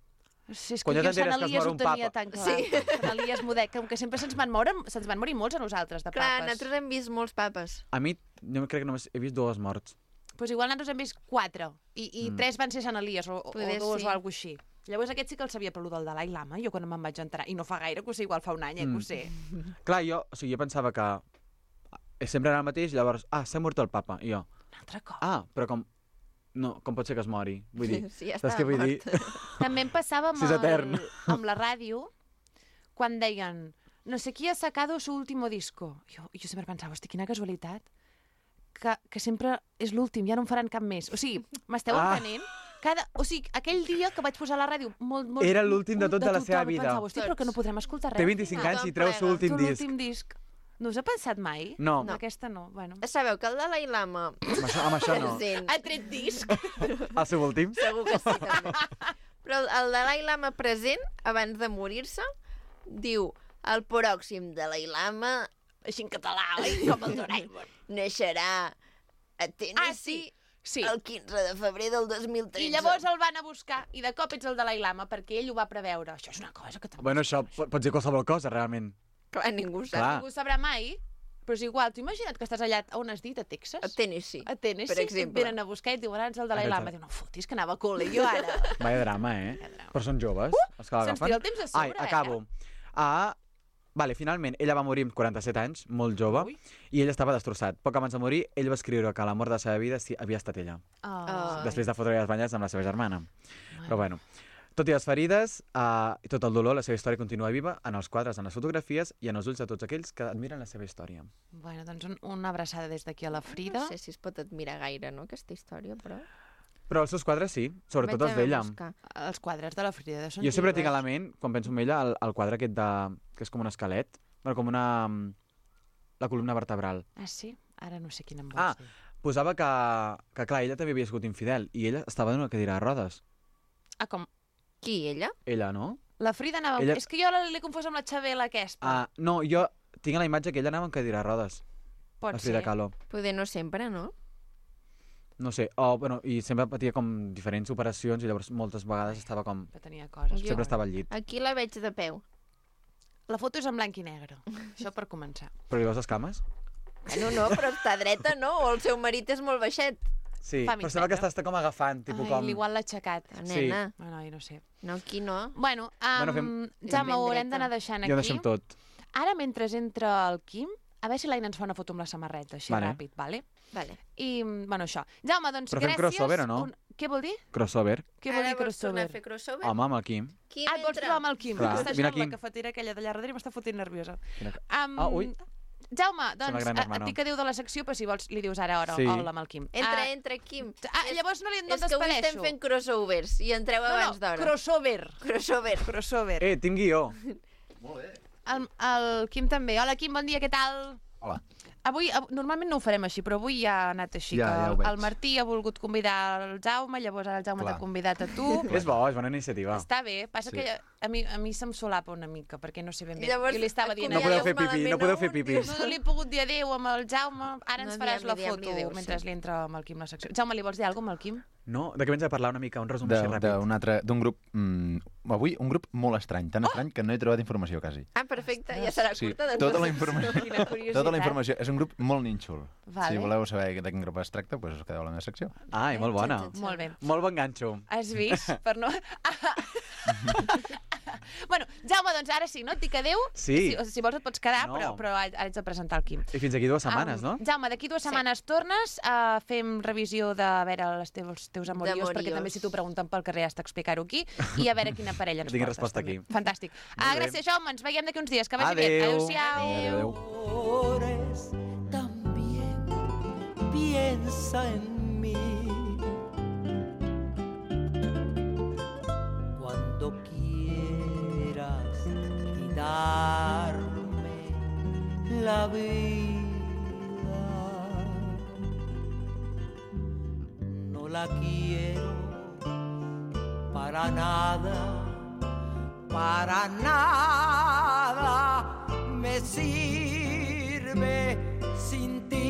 Sí, és que Quan ja jo Sant t'enteres que es Elies mor ho un tenia papa. tan clar. Sí. Sant Elies Modet, com que sempre se'ns van morir molts a nosaltres, de Clar, papes. nosaltres hem vist molts papes. A mi, jo crec que només he vist dues morts. Pues igual nosaltres hem vist 4, i 3 van ser Sant Elies, o Poder 2 sí. o alguna cosa així. Llavors aquest sí que el sabia pel del Dalai Lama, jo quan me'n vaig entrar, i no fa gaire, que ho sé, igual fa un any, que ho sé. Clar, jo pensava que sempre era el mateix, llavors, s'ha mort el papa, i jo, Un altre cop. però com pot ser que es mori? Vull dir, Sí, ja saps estava què vull dir? mort. També em passava amb, Si és etern. amb la ràdio, quan deien, no sé qui ha sacado su último disco. Jo sempre pensava, hosti, quina casualitat, que sempre és l'últim, ja no en faran cap més. O sigui, m'esteu entenent? O sigui, aquell dia que vaig posar a la ràdio molt Era l'últim de tot de la seva tothom, vida. Pensava, hosti, però que no podrem escoltar res. Té 25 anys i treu el seu plega. últim disc. L'últim disc. No us ha pensat mai? No. Aquesta no, bueno. Sabeu que el Dalai Lama... Amb això no. present, Ha tret disc? El seu últim? segur que sí, també. Però el Dalai Lama present, abans de morir-se, diu el pròxim Dalai Lama, Així en català, oi? Com el Doraemon. naixerà a Tennessee Sí. el 15 de febrer del 2013. I llavors el van a buscar, i de cop ets el Dalai Lama, perquè ell ho va preveure. Això és una cosa que també... Bueno, això pot ser qualsevol cosa, realment. Clar, ningú sap. Clar. Ningú sabrà mai, però és igual. T'ho imagina't que estàs allà, on has dit, a Texas? A Tennessee. A Tennessee, per exemple. et venen a buscar i et diuen, ara ets el Dalai Lama. Diu, no fotis, que anava a col·le, jo ara. Vaya drama, Però són joves, els que l'agafen. se'ns tira el temps a sobre, Ai, acabo. Vale, finalment, ella va morir amb 47 anys, molt jove, i ell estava destrossat. Poc abans de morir, ell va escriure que l'amor de la seva vida havia estat ella. Després de fotre les banyes amb la seva germana. Però bueno, tot i les ferides i tot el dolor, la seva història continua viva en els quadres, en les fotografies i en els ulls de tots aquells que admiren la seva història. Bueno, doncs una abraçada des d'aquí a la Frida. No sé si es pot admirar gaire, no, aquesta història, però... Però els seus quadres sí, sobretot els Vaig d'ella. a buscar. Els quadres de la Frida són Jo sempre tinc a divers. la ment, quan penso en ella, el quadre aquest que és com un esquelet, bueno, com la columna vertebral. Ah, sí? Ara no sé quina em vols dir. Posava que, clar, ella també havia sigut infidel i ella estava en una cadira de rodes. Ah, com? Qui, ella? Ella, no? La Frida anava... Ella- És que jo l'he confós amb la Xabela aquesta. No, jo tinc a la imatge que ella anava en cadira de rodes. Pot La Frida ser. Kahlo. Poder no sempre, no? No sé, bueno, i sempre patia com diferents operacions i llavors moltes vegades estava com... Que tenia coses. Jo- Sempre estava al llit. Aquí la veig de peu. La foto és en blanc i negre. Això per començar. Però li veus les cames? No, però està dreta, no? O el seu marit és molt baixet. Sí, Fa mig però sembla que metre. està com agafant, tipus Ai, com... igual l'ha aixecat. Nena. Bueno, no sé. No, aquí no. Bueno, Bueno, Jaume, ho ben haurem dreta. d'anar deixant Ja ho aquí. deixem tot. Ara, mentre entra el Quim, a veure si l'Aina ens fa una foto amb la samarreta, així Vale. ràpid, vale? Vale. I, bueno, això. Jaume, doncs Però fem gràcies. crossover o no? Què vol dir? Crossover. Què vol dir vols tornar crossover? a fer crossover? Home, amb el Quim. Qui Ah, et vols provar amb el Quim? Clar. Està Vine jugant la aquí. cafetera aquella d'allà darrere i m'està fotent nerviosa. Ui. Jaume, Sembla doncs, gran et hermano. dic adéu de la secció, però si vols li dius ara Sí. hola amb el Quim. Entra, Quim. Llavors no És que avui estem fent crossovers i entreu abans d'hora. crossover. Crossover. Crossover. Tinc guió. El Quim també. Hola, Quim, bon dia, què tal? Hola. Avui, normalment no ho farem així, però avui ja ha anat així. Ja que ho veig. el Martí ha volgut convidar el Jaume, llavors ara el Jaume Clar. t'ha convidat a tu. És bona iniciativa. Està bé, passa Sí. que a mi se'm solapa una mica, perquè no sé ben bé. Llavors, jo li estava dient... No podeu fer malament pipí, no a podeu un, fer pipí. dius, No li he pogut dir adéu amb el Jaume, ara ens No, faràs la diguem-li foto adéu, mentre sí. li entra amb el Quim la secció. Jaume, li vols dir alguna cosa amb el Quim? No? De què vens a parlar una mica? Un resum així ràpid. D'un grup... avui un grup molt estrany, tan estrany que no he trobat informació quasi. Ah, perfecte, ja serà Sí, curta. Doncs tota la informació. Quina curiositat. Tota la informació. És un grup molt nínxol. Vale. Si voleu saber de quin grup es tracta, doncs us quedeu a la meva secció. Ai, molt bona. Molt bé. Molt bon ganxo. Has vist? Per no... Bueno, Jaume, doncs ara sí, no? Et dic adéu. Sí. Si vols et pots quedar, No. però ara ets de presentar el Quim. I fins aquí 2 setmanes, no? Jaume, d'aquí 2 setmanes tornes, fem revisió de a veure els teus amoriós, perquè també si t'ho pregunten pel carrer has d'explicar-ho aquí, i a veure quina parella ens Que tingui portes. resposta també. aquí. Fantàstic. Molt bé. Gràcies, Jaume, ens veiem d'aquí uns dies. Que vagi bé. Adéu. Adéu-siau. Adéu. Amores, también piensa en mí. Cuando quieras quitarme la vida, no la quiero para nada. Para nada me sirve sin ti.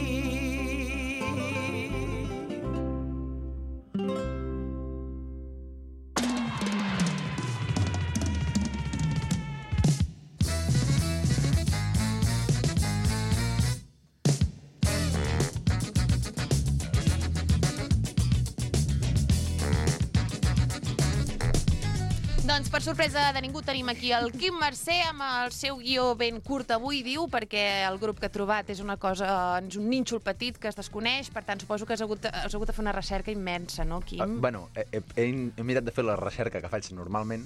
Doncs per sorpresa de ningú tenim aquí el Quim Mercè amb el seu guió ben curt avui, diu, perquè el grup que ha trobat és una cosa, és un nínxol petit que es desconeix, per tant suposo que has hagut de fer una recerca immensa, no, Quim? Bueno, he mirat de fer la recerca que faig normalment.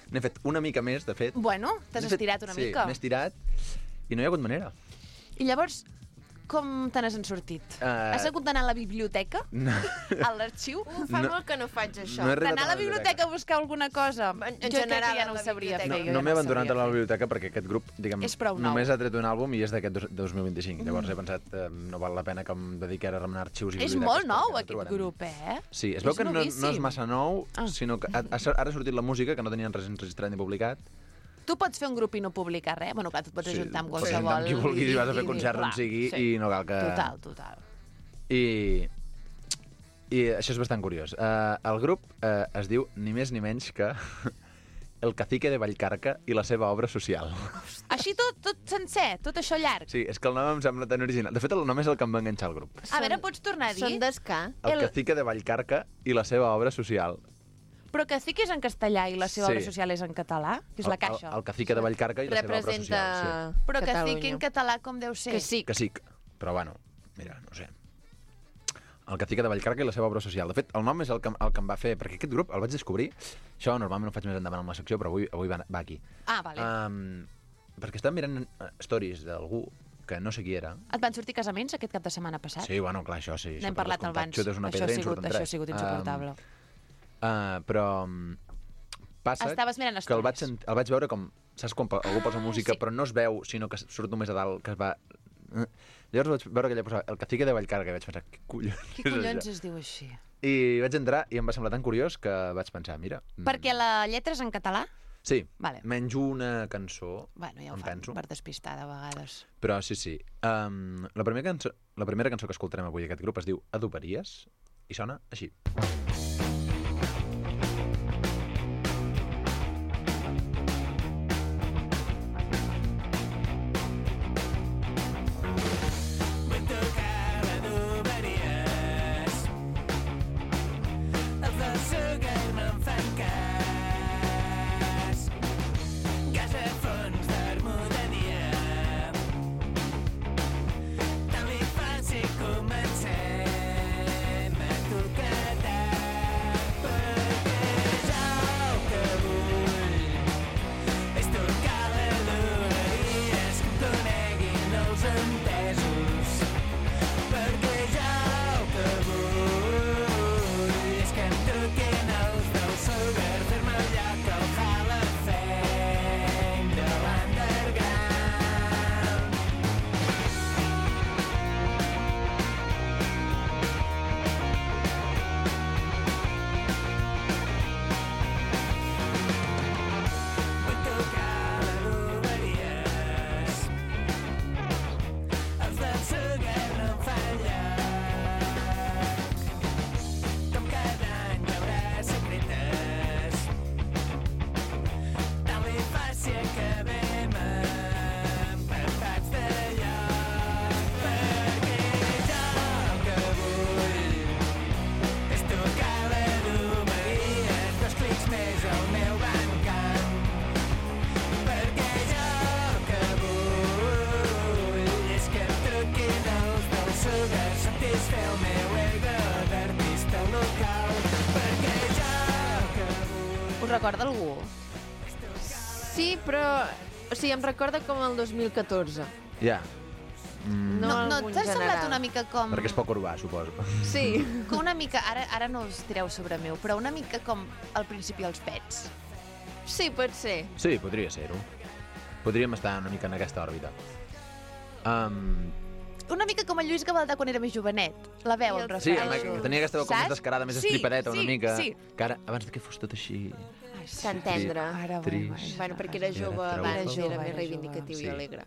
N'he fet una mica més, de fet. Bueno, t'has N'he fet- estirat una mica. Sí, m'he estirat i no hi ha hagut manera. I llavors, com te n'has en sortit? Has hagut d'anar a la biblioteca? No. A l'arxiu? Fa No. molt que no faig això. No he arribat D'anar a la biblioteca a buscar alguna cosa? En Jo crec general, que ja a no la ho sabria biblioteca. fer. No, jo no ja m'he ho abandonat sabria a la fer. biblioteca perquè aquest grup, diguem, És prou nou. només ha tret un àlbum i és d'aquest 2025. Llavors he pensat, no val la pena que em dediqui ara a remenar arxius i És biblioteques. molt nou, perquè no aquest trobarem. grup, eh? Sí, es veu És que no novíssim. és massa nou, Ah. sinó que ara ha sortit la música, que no tenien res enregistrat ni publicat. Tu pots fer un grup i no publicar res? Bueno, clar, tu et pots ajuntar amb pots qualsevol... ajuntar amb qui vulguis i vas a fer i- concert on clar, sigui sí. i no cal que... Total. I això és bastant curiós. El grup es diu ni més ni menys que El cacique de Vallcarca i la seva obra social. Així tot sencer, tot això llarg. Sí, és que el nom em sembla tan original. De fet, el nom és el que em va enganxar al grup. A veure, pots tornar a dir? Són d'esca. El cacique de Vallcarca i la seva obra social. Però Cacique és en castellà i la seva Sí. obra social és en català? Que és la caixa. El cacique de Vallcarca i la seva obra Representa social. Però Catalunya. Cacique en català com deu ser? Que sí. Sí. Cacic. Però bueno, mira, no sé. El cacique de Vallcarca i la seva obra social. De fet, el nom és el que em va fer... Perquè aquest grup el vaig descobrir... Això normalment ho faig més endavant amb la secció, però avui va aquí. Ah, vale. Perquè estava mirant stories d'algú que no sé qui era. Et van sortir casaments aquest cap de setmana passat? Sí, bueno, clar, això sí. N'hem parlat abans. Xutes una Això pedra ha i en sigut, surten això ha tres. sigut insuportable. Però passa Estaves mirant que el vaig, stories. el vaig veure com... Saps quan algú posa música sí. però no es veu, sinó que surt només a dalt, que es va... Llavors vaig veure que ella posava el cacique de Vallcarca i vaig pensar, què collons Què és collons això? es diu així? I vaig entrar i em va semblar tan curiós que vaig pensar, mira... Perquè la lletra és en català? Sí, Vale. menys una cançó, Bueno, ja ho em fan penso. per despistar de vegades. Però sí. La primera cançó que escoltarem avui d'aquest grup es diu Adoberies i sona així. Us recorda algú? Sí, però... O sigui, em recorda com el 2014. Ja, No, No algun t'ha semblat general. una mica com... perquè és poc urbà, suposo. Sí. Com una mica, ara no us tireu sobre meu, però una mica com al principi els Pets. Sí, pot ser. Sí, podria ser-ho. Podríem estar una mica en aquesta òrbita. Una mica com el Lluís Gavaldà quan era més jovenet. La veu, I em el- Sí, refereixo. que tenia aquesta veu com més Saps? descarada, més Sí, estripadeta, una sí, mica. sí. Que ara, abans que fos tot així... Tan tendre. Ara Trist. Bueno, perquè era jove Era abans, jove. era més Era reivindicatiu jove. i Sí. alegre.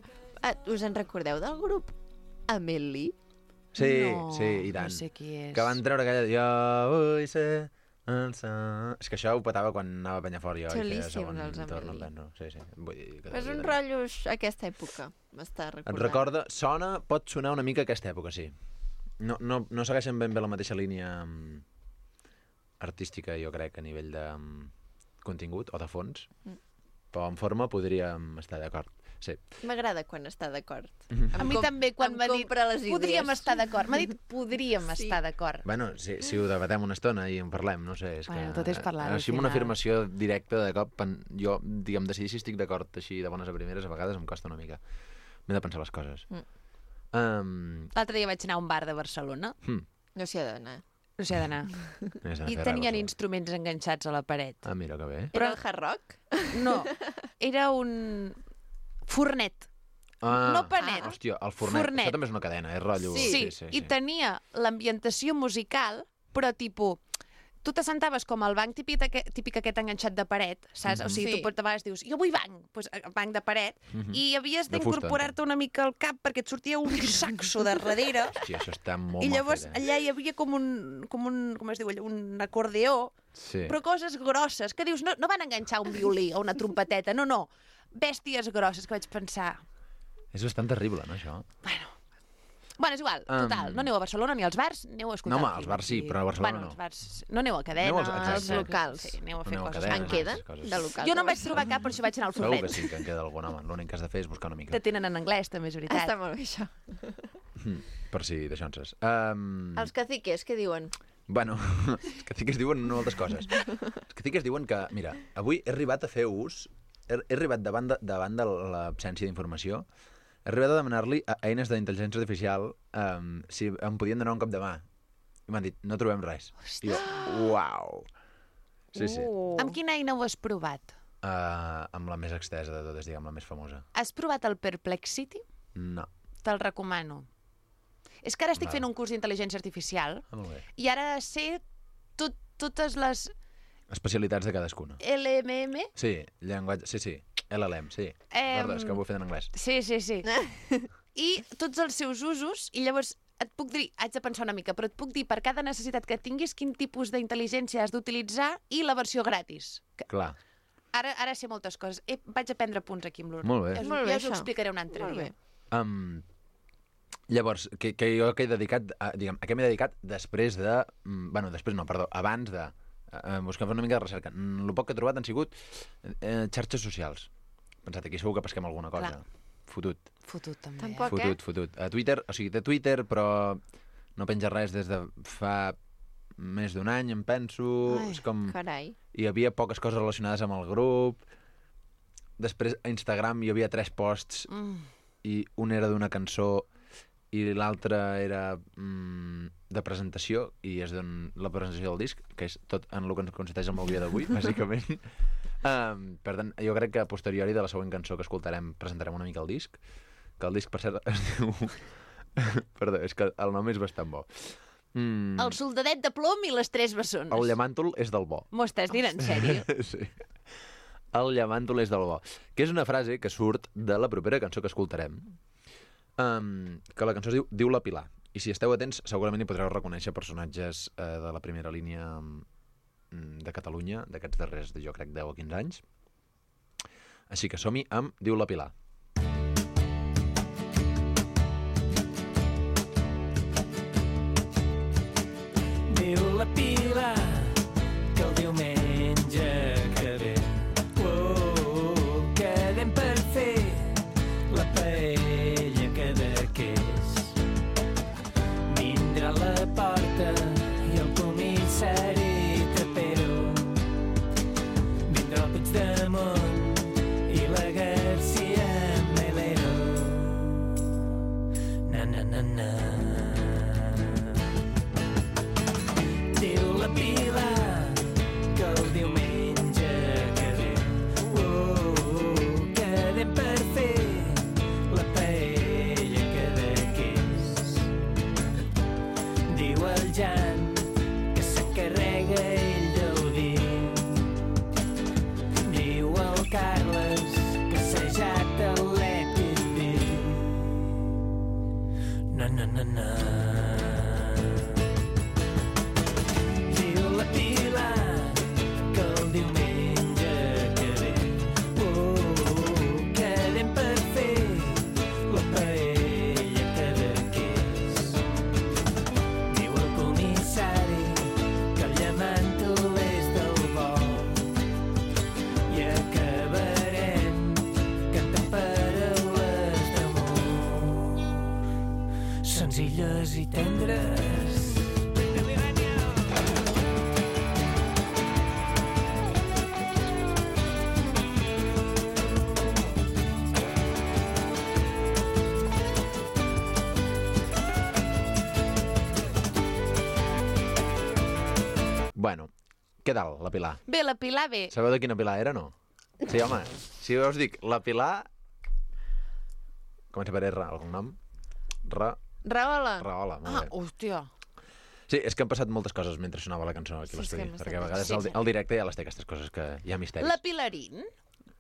Us en recordeu del grup Amélie? Sí, No, sí, i tant. no sé qui és. Que van treure aquella... Jo vull ser... És que això ho petava quan anava a Penyafort jo. Xulíssim, segon els torn, Amélie. penso. Sí, sí. Vull dir que És un devia tenir. rotllo aquesta època. M'està recordant. Et recorda... Pot sonar una mica aquesta època, sí. No segueixen ben bé la mateixa línia artística, jo crec, a nivell de contingut o de fons. Però en forma podríem estar d'acord. Sí. M'agrada quan està d'acord. A mi també, quan m'ha dit les idees. podríem estar d'acord. M'ha dit podríem Sí. estar d'acord. Bueno, si ho debatem una estona i en parlem, no sé, és Bueno, que... tot és parlar, Així al amb una final. afirmació directa de cop, jo, diguem, decidir si estic d'acord així de bones a primeres, a vegades em costa una mica. M'he de pensar les coses. L'altre dia vaig anar a un bar de Barcelona, No s'hi ha d'anar. no sé d'anar, i tenien instruments enganxats a la paret. Ah, mira, que bé. Era el hard rock? No, era un fornet. Ah, No panet. Hòstia, el fornet. Fornet. Això també és una cadena, és rotllo... Sí, i tenia l'ambientació musical, però tipus... Tu t'assentaves com al banc típic aquest enganxat de paret, saps? O sigui, Sí. tu pots, a vegades dius, jo vull banc, doncs banc de paret, i havies De fusta, d'incorporar-te una mica al cap perquè et sortia un saxo de darrere, Hòstia, això està molt i mal llavors fet, eh? allà hi havia com es diu allò, un acordeó, Sí. però coses grosses, que dius, no van enganxar un violí o una trompeteta, no, bèsties grosses, que vaig pensar... És bastant terrible, no, això? Bueno, és igual, total, no aneu a Barcelona ni als bars, aneu a escoltar... No, home, als bars sí, però a Barcelona no. Als bars, no aneu a cadenes... als locals. Sí, aneu a fer Aneu a coses. cadenes. En queden coses. de locals? Jo no en vaig trobar cap, per això vaig anar al Segur Forment. que sí, que en queda algun, home. L'únic que has de fer és buscar una mica. Que tenen en anglès, també, és veritat. Està molt bé, això. Per si d'aixonses. Els caciques, què diuen? Bueno, els caciques diuen moltes coses. Els caciques diuen que, mira, avui he arribat a fer ús, he arribat davant de l'absència d'informació, he arribat a demanar-li a eines d'intel·ligència artificial si em podien donar un cop de mà. I m'han dit, no trobem res. I jo, uau! Sí, sí. Amb quina eina ho has provat? Amb la més extesa de totes, diguem, la més famosa. Has provat el Perplexity? No. Te'l recomano. És que ara estic Val. fent un curs d'intel·ligència artificial Molt bé. i ara sé totes les Especialitats de cadascuna. LMM. Sí, llenguatge... Sí. LLM, sí. Perdó, és que ho he fet en anglès. Sí. I tots els seus usos, i llavors et puc dir, haig de pensar una mica, però et puc dir per cada necessitat que tinguis quin tipus d'intel·ligència has d'utilitzar i la versió gratis. Clar. Ara sé moltes coses. Vaig a prendre punts aquí amb l'Urna. Molt bé. Molt bé, Ja us ho això. explicaré un altre Molt dia. bé. Llavors, que jo que he dedicat, a què m'he dedicat després de... abans de buscar una mica de recerca. El poc que he trobat han sigut xarxes socials. He pensat, aquí segur que pesquem alguna cosa. Clar. Fotut. Fotut, també. Tampoc. Fotut. A Twitter, o sigui, té Twitter, però no penja res des de fa més d'un any, em penso. Ai, És com... Carai. Hi havia poques coses relacionades amb el grup. Després a Instagram hi havia 3 posts i un era d'una cançó i l'altre era de presentació, i és la presentació del disc, que és tot en el que ens consisteix el meu dia d'avui, bàsicament. Per tant, jo crec que a posteriori de la següent cançó que escoltarem presentarem una mica el disc, que el disc, per cert, es diu... Perdó, és que el nom és bastant bo. El soldadet de plom i les 3 bessones. El llamàntol és del bo. M'ho estàs dient en sèrio? Sí. El llamàntol és del bo. Que és una frase que surt de la propera cançó que escoltarem, que la cançó es diu La Pilar. I si esteu atents, segurament hi podreu reconèixer personatges de la primera línia de Catalunya, d'aquests darrers, jo crec, 10 o 15 anys. Així que som-hi amb Diu la Pilar. Diu la Pilar que el diumenge que ve quedem per fer la paella Cadaqués. Vindrà a la porta i el comissari Trapero. Vindrà el Puigdemont i la García Melero. Na, na, na, na. Diu la Pilar que el diumenge que ve quedem per fer la paella Cadaqués. Diu el Jan que s'encarrega ell del vi. Diu el Carles que s'ha jat l'EPP. Na, na, na, na. Diu la Pilar que el diumenge que ve quedem per fer la paella Cadaqués. Diu el comissari que el llamàntol és del bo i acabarem cantant paraules d'amor senzilles i tendres. Bueno, què tal, la Pilar? Bé, la Pilar, bé. Sabeu de quina Pilar era, no? Sí, home, si us dic la Pilar... Comença per R, algun nom? Rahola. Rahola, molt bé. Hòstia. Sí, és que han passat moltes coses mentre sonava la cançó aquí a Sí, és que l'estudi, hem estat perquè a vegades sí. el directe ja les té aquestes coses que hi ha misteris. La Pilarín?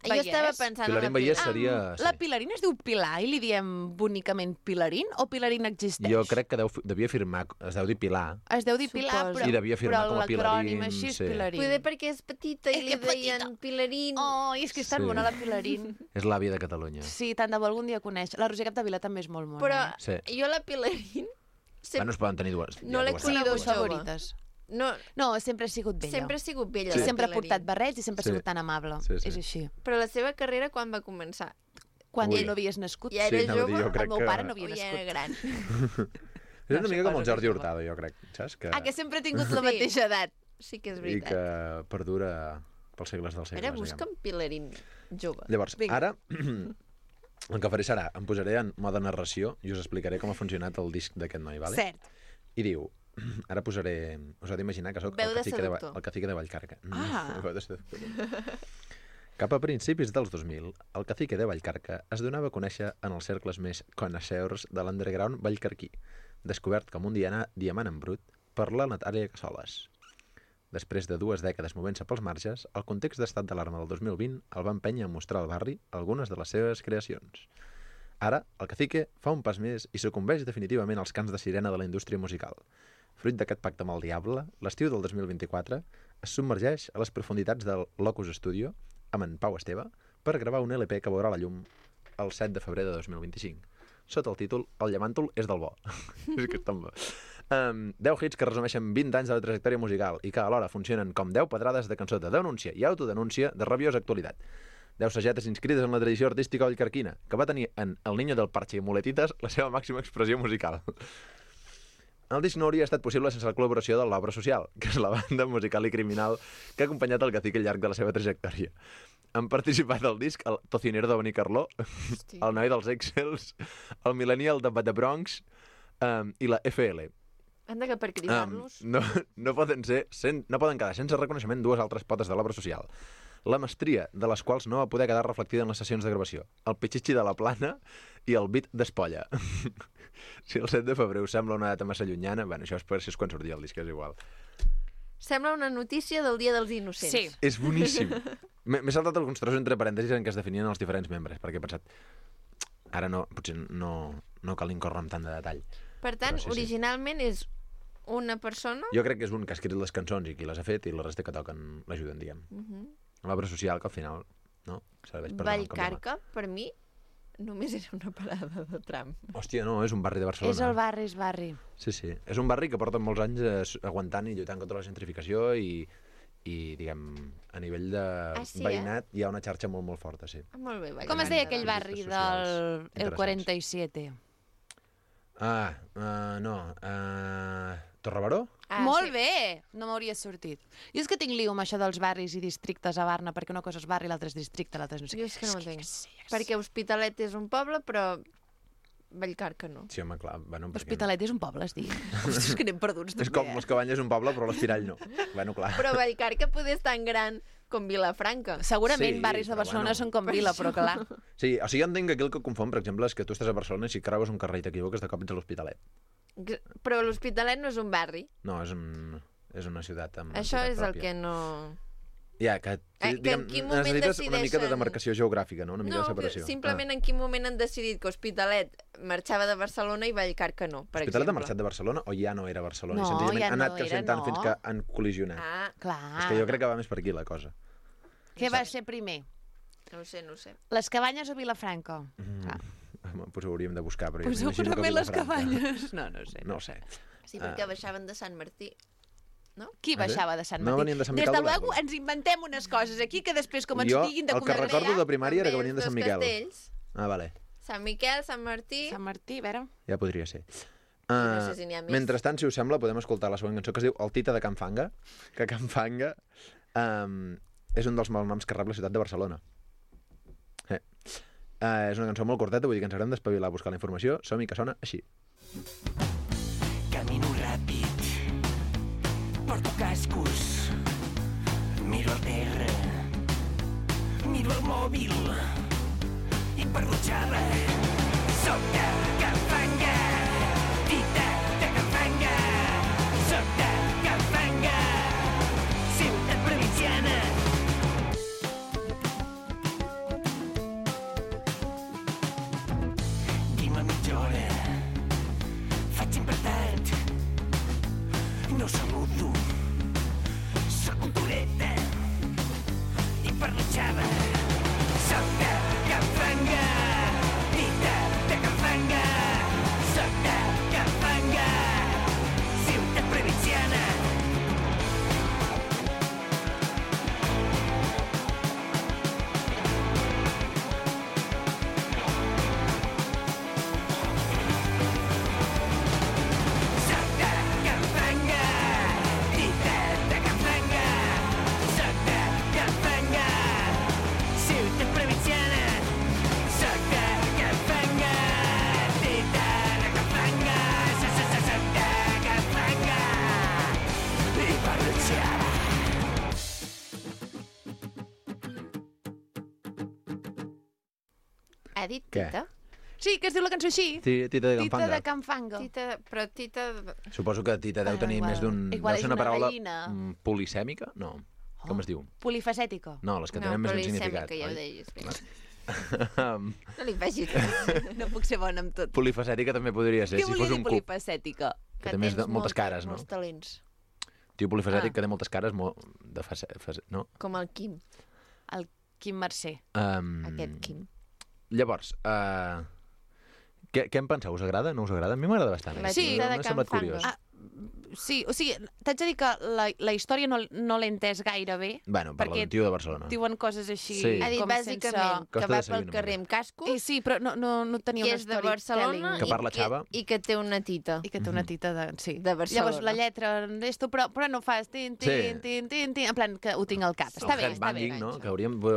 Jo estava pensant en la Pilarín Vallès Pilar. seria... La Pilarín es diu Pilar i li diem bonicament Pilarín o Pilarín existeix? Jo crec que devia firmar, es deu dir Pilar, Es deu dir Pilar, Suposo. però, I devia firmar però com a l'acrònim Pilarín, així és sí. Pilarín. Poder perquè és petita i És li que petita. deien Pilarín. Oh, és que és tan Sí. bona la Pilarín. és l'àvia de Catalunya. Sí, tant de bo algun dia conèixer. La Roser Capdevila també és molt mona. Però Sí. jo la Pilarín Bueno, es poden tenir dues. No l'he dues Sí, conegut dues jove. favorites. no, No, sempre ha sigut bella. sempre ha sigut bella. I la sempre ha Pilarín. portat barrets i sempre ha Sí. sigut tan amable. Sí, sí. És així. Però la seva carrera quan va començar? Quan Ui. no havies nascut. Ja era Sí, anava a dir, jove jo crec el meu que- pare no o havia ja nascut. era gran? És una mica com el suposo Jordi que Hurtado, jo crec, saps? Que sempre ha tingut la Sí. mateixa edat. Sí que és I veritat. que perdura pels segles dels segles. Ara busca'm Pilarín jove. Llavors, Vinga. ara, el que faré serà, em posaré en mode narració i us explicaré com ha funcionat el disc d'aquest noi, vale? Cert. I diu, ara posaré... Us heu d'imaginar que sóc Veu el de cacique seductor. el cacique de Vallcarca. Ah. Veu de seductor. Cap a principis dels 2000, el cacique de Vallcarca es donava a conèixer en els cercles més connoisseurs de l'underground vallcarquí, descobert com un diamant en brut per la Natàlia Cassoles. Després de 2 dècades movent-se pels marges, el context d'estat d'alarma del 2020 el va empènyer a mostrar al barri algunes de les seves creacions. Ara, el cacique fa un pas més i sucumbeix definitivament als cants de sirena de la indústria musical. Fruit d'aquest pacte amb el diable, l'estiu del 2024 es submergeix a les profunditats del Locus Studio amb en Pau Esteve per gravar un LP que veurà la llum el 7 de febrer de 2025, sota el títol El llamàntol és del bo. És que és tan bo. 10 hits que resumeixen 20 anys de la trajectòria musical i que alhora funcionen com 10 pedrades de cançó de denúncia i autodenúncia de rabiosa actualitat. 10 sagetes inscrites en la tradició artística vallcarquina, que va tenir en El Niño del Parche i Muletitas la seva màxima expressió musical. El disc no hauria estat possible sense la col·laboració de l'Obra Social, que és la banda musical i criminal que ha acompanyat el cacique al llarg de la seva trajectòria. Han participat al disc el Tocinero de Benicarló, el Noi dels Excels, el Millennial de Bad Bronx i la FL. Anda que per cridar-los... No poden quedar sense reconeixement dues altres potes de l'Obra Social. La mestria, de les quals no va poder quedar reflectida en les sessions de gravació. El pitxitxi de la plana i el beat d'espolla. Si el 7 de febrer us sembla una data massa llunyana, bueno, això és quan sortia el disc, és igual. Sembla una notícia del Dia dels Innocents. Sí. És boníssim. M'he saltat alguns trossos entre parèntesis en què es definien els diferents membres, perquè he pensat, ara no, potser no cal incórrer amb tant de detall. Per tant, Però sí, sí. originalment és una persona... Jo crec que és un que ha escrit les cançons i qui les ha fet i la resta que toquen l'ajuden, diguem. L'obra social que al final no serveix per donar un cop de mà. Vallcarca, per mi, només era una parada de tram. Hòstia, no, és un barri de Barcelona. És el barri, és barri. Sí, sí. És un barri que porta molts anys aguantant i lluitant contra la gentrificació i diguem, a nivell de sí, veïnat hi ha una xarxa molt, molt forta, sí. Ah, molt bé, Com es deia aquell barri socials del el interessants. 47? Torre Baró? Molt sí. bé! No m'hauria sortit. Jo és que tinc lío amb això dels barris i districtes a Barna, perquè una cosa és barri, l'altra és districte, l'altra és no sé Jo és que no ho entenc. Perquè Hospitalet és un poble, però Vallcarca no. Sí, home, clar. Bueno, perquè Hospitalet és un poble, es diu. Ostres, que anem perduts no. És com les Cabanyes és un poble, però l'Espirall no. Bueno, clar. Però Vallcarca poder és tan gran com Vilafranca. Segurament Sí, barris de però Barcelona bueno. són com Vila, però clar. Sí, o sigui, jo entenc que aquí el que confon, per exemple, és que tu estàs a Barcelona i si creues un carrer i t'equivoques, de cop ets a l'Hospitalet. Però l'Hospitalet no és un barri. No, és una ciutat amb Això entitat és el pròpia. que no... Ja, que, en quin moment necessites una mica de decideixen- demarcació geogràfica, no? Una mica No, de separació. simplement en quin moment han decidit que Hospitalet marxava de Barcelona i Vallcarca no, per L'Hospitalet ha exemple. marxat de Barcelona o ja no era Barcelona? No, I senzillament ja ha anat no creixent era, tant no. fins que han col·lisionat. Ah, Clar. És que jo crec que va més per aquí la cosa. Què va ser primer? no ho sé, no ho sé. Les Cabanyes o Vilafranca? Clar. Home, doncs ho hauríem de buscar, però jo Pues m'imagino que segurament les Vilafranca. Cabanyes. No, no sé. No ho sé. Sí, perquè baixaven de Sant Martí. Qui Ah, sí? baixava de Sant No Martí? venien de Sant Des Miquel de de luego Verges. ens inventem unes coses aquí que després com ens Jo, diguin de el que recordo de primària era que També venien de els Sant dos Miquel. Castells, Ah, vale. Sant Miquel, Sant Martí... Sant Martí, a veure... Ja podria ser. no sé si n'hi ha més. Mentrestant, si us sembla, podem escoltar la següent cançó que es diu El Tita de Can Fanga, que Can Fanga és un dels malnoms que rep la ciutat de Barcelona. És una cançó molt curteta, vull dir que ens haurem d'espavilar a buscar la informació. Som-hi, que sona així. Camino ràpid, porto cascos, miro el terra, miro el mòbil i parlo xala. Soc de Can Fanga, Tita de Can Fanga, soc de Can Fanga, ciutat provinciana. Ha dit Què? Tita? Sí, que es diu la cançó així. Tita de Tita Campanga. de Campanga. Però Tita... Suposo que Tita deu tenir igual. més d'un... Igual Deu és ser una una paraula gallina. polisèmica? No. Com es diu? Polifacètica. No, les que No, tenen més però d'un li sembla significat. que ja ho oi? deies bé. No li facis No puc ser bona amb tot. Polifacètica també podria ser, Què si volia fos dir un cub. polifacètica? Que té més de, moltes cares, no? Molts talents. Tio polifacètic que té moltes cares, no? Com el Quim, El Quim Mercè. aquest Quim. Llavors, què en penseu? Us agrada? No us agrada? A mi m'agrada bastant. La Sí. Tita de m'ha semblat Campanga. curiós. Sí, o sigui, t'haig de dir que la història no l'he entès gaire bé. Bueno, parla perquè d'un tio de Barcelona. Diuen coses així Sí. Ha dit com bàsicament que Costa va de seguir pel una carrer mica. amb cascos, Sí, però no tenia que una és de storytelling. Barcelona Que parla xava. i que té una tita. I que té una tita de... Sí. De Barcelona. Llavors la lletra d'esto, però no fas tin, tin, tin, tin, tin, en plan que ho tinc al cap. Està bé, El està bé. headbanging, no? Que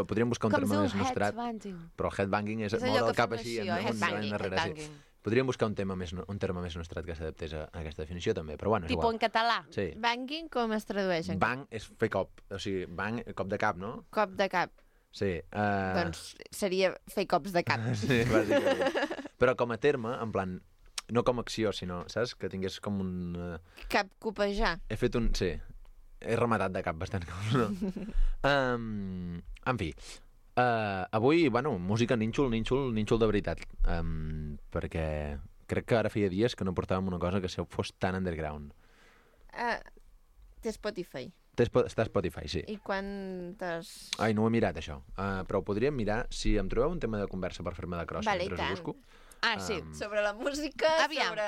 podríem buscar un Com terme diu més nostrat. headbanging? Però el headbanging és És moure allò el que cap fem així, així, en oi? un Headbanging, darrere. Sí. headbanging. Podríem buscar un terme més nostrat que s'adaptés a aquesta definició, també. Però bueno, és Tipo igual. en català. Sí. Banging com es tradueix? En Bang és fer cop. O sigui, bang, cop de cap, no? cop de cap. Sí. Doncs seria fer cops de cap. Sí, bàsicament. Però com a terme, en plan, no com a acció, sinó, saps? Que tingués com un... Cap copejar. He fet un... Sí, he rematat de cap bastant cops, no? En fi, avui, bueno, música nínxol de veritat. Perquè crec que ara feia dies que no portàvem una cosa que fos tan underground. Té Spotify. Està a Spotify, sí. I quantes... Ai, no ho he mirat, això. Però ho podríem mirar si em trobeu un tema de conversa per fer-me de crossa Vale, mentre i tant. us busco. Ah, sí. Sobre la música, Aviam. sobre...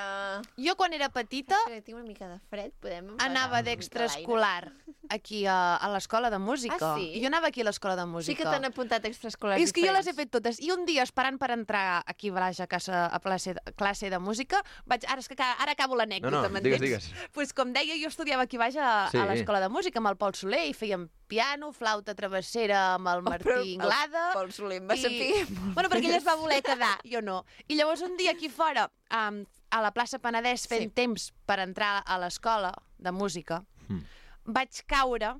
Jo quan era petita Espera, tinc una mica de fred, podem... empagar anava una mica d'extraescolar aquí a l'escola de música. Ah, sí? Jo anava aquí a l'escola de l'aire? Sí música. que t'han apuntat extraescolars És que jo les he diferents. fet totes. I un dia, esperant per entrar aquí a Balaja a classe de música, és que ara acabo l'anècdota, No, m'entens? digues. Pues, com deia, jo estudiava aquí baix a Sí. l'escola de música amb el Pol Soler i fèiem piano, flauta travessera amb el Martí Inglada. Pol Soler em va saber Bueno, perquè ell es va voler quedar, jo no. I llavors un dia aquí fora, a la plaça Penedès, fent temps per entrar a l'escola de música, vaig caure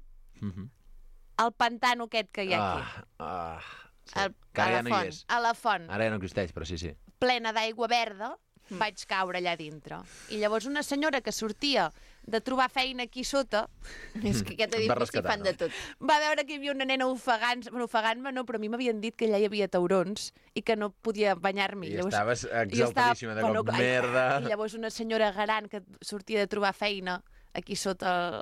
al pantano aquest que hi ha aquí. Sí. Que ara ja no hi és. A la font, Ara ja no existeix, però sí, sí. plena d'aigua verda, vaig caure allà dintre. I llavors una senyora que sortia de trobar feina aquí sota És que aquest Em va edifici rescatar, fan de no? tot. va veure que hi havia una nena ofegant-me, no, però a mi m'havien dit que allà hi havia taurons i que no podia banyar-m'hi. I estaves jo exaltadíssima de cop, clar, merda. I llavors una senyora gran que sortia de trobar feina aquí sota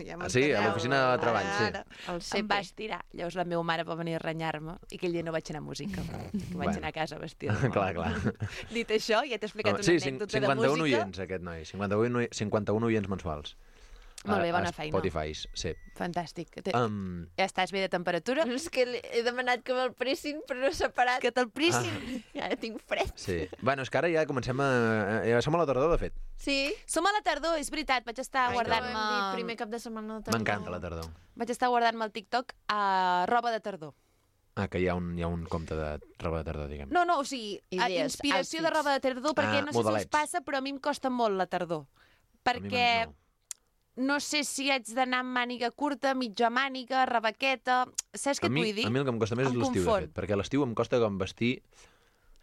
ja Sí, a l'oficina de treball, sí. El Em CP. va estirar. Llavors la meva mare va venir a renyar-me i aquell dia no vaig anar a música. Que vaig Bueno. anar a casa vestida. Clar, clar. Dit això, ja t'he explicat una Sí, anècdota 51 de música. oients, aquest noi. 51 oients mensuals. Molt bé, bona A feina. Spotify, sí. Fantàstic. Um, Ja estàs bé de temperatura? És que he demanat que me'l pressin, però no s'ha parat. Que te'l prissin? Ara tinc fred. sí. Bueno, és que ara ja comencem a... Ja som a la tardor, de fet. Sí? Som a la tardor, és veritat. Vaig estar Ho hem dit, guardant-me... primer cap de setmana de tardor. M'encanta la tardor. Vaig estar guardant-me al TikTok a roba de tardor. Ah, que hi ha un compte de roba de tardor, diguem. No, o sigui, Idees, inspiració de outfits. roba de tardor, perquè no sé si us modelets. passa, però a mi em costa molt la tardor. Perquè no sé si haig d'anar amb màniga curta, mitja màniga, rebequeta... Saps què et vull dir? A mi el que em costa més és Em l'estiu, de confon. fet, perquè a l'estiu em costa com vestir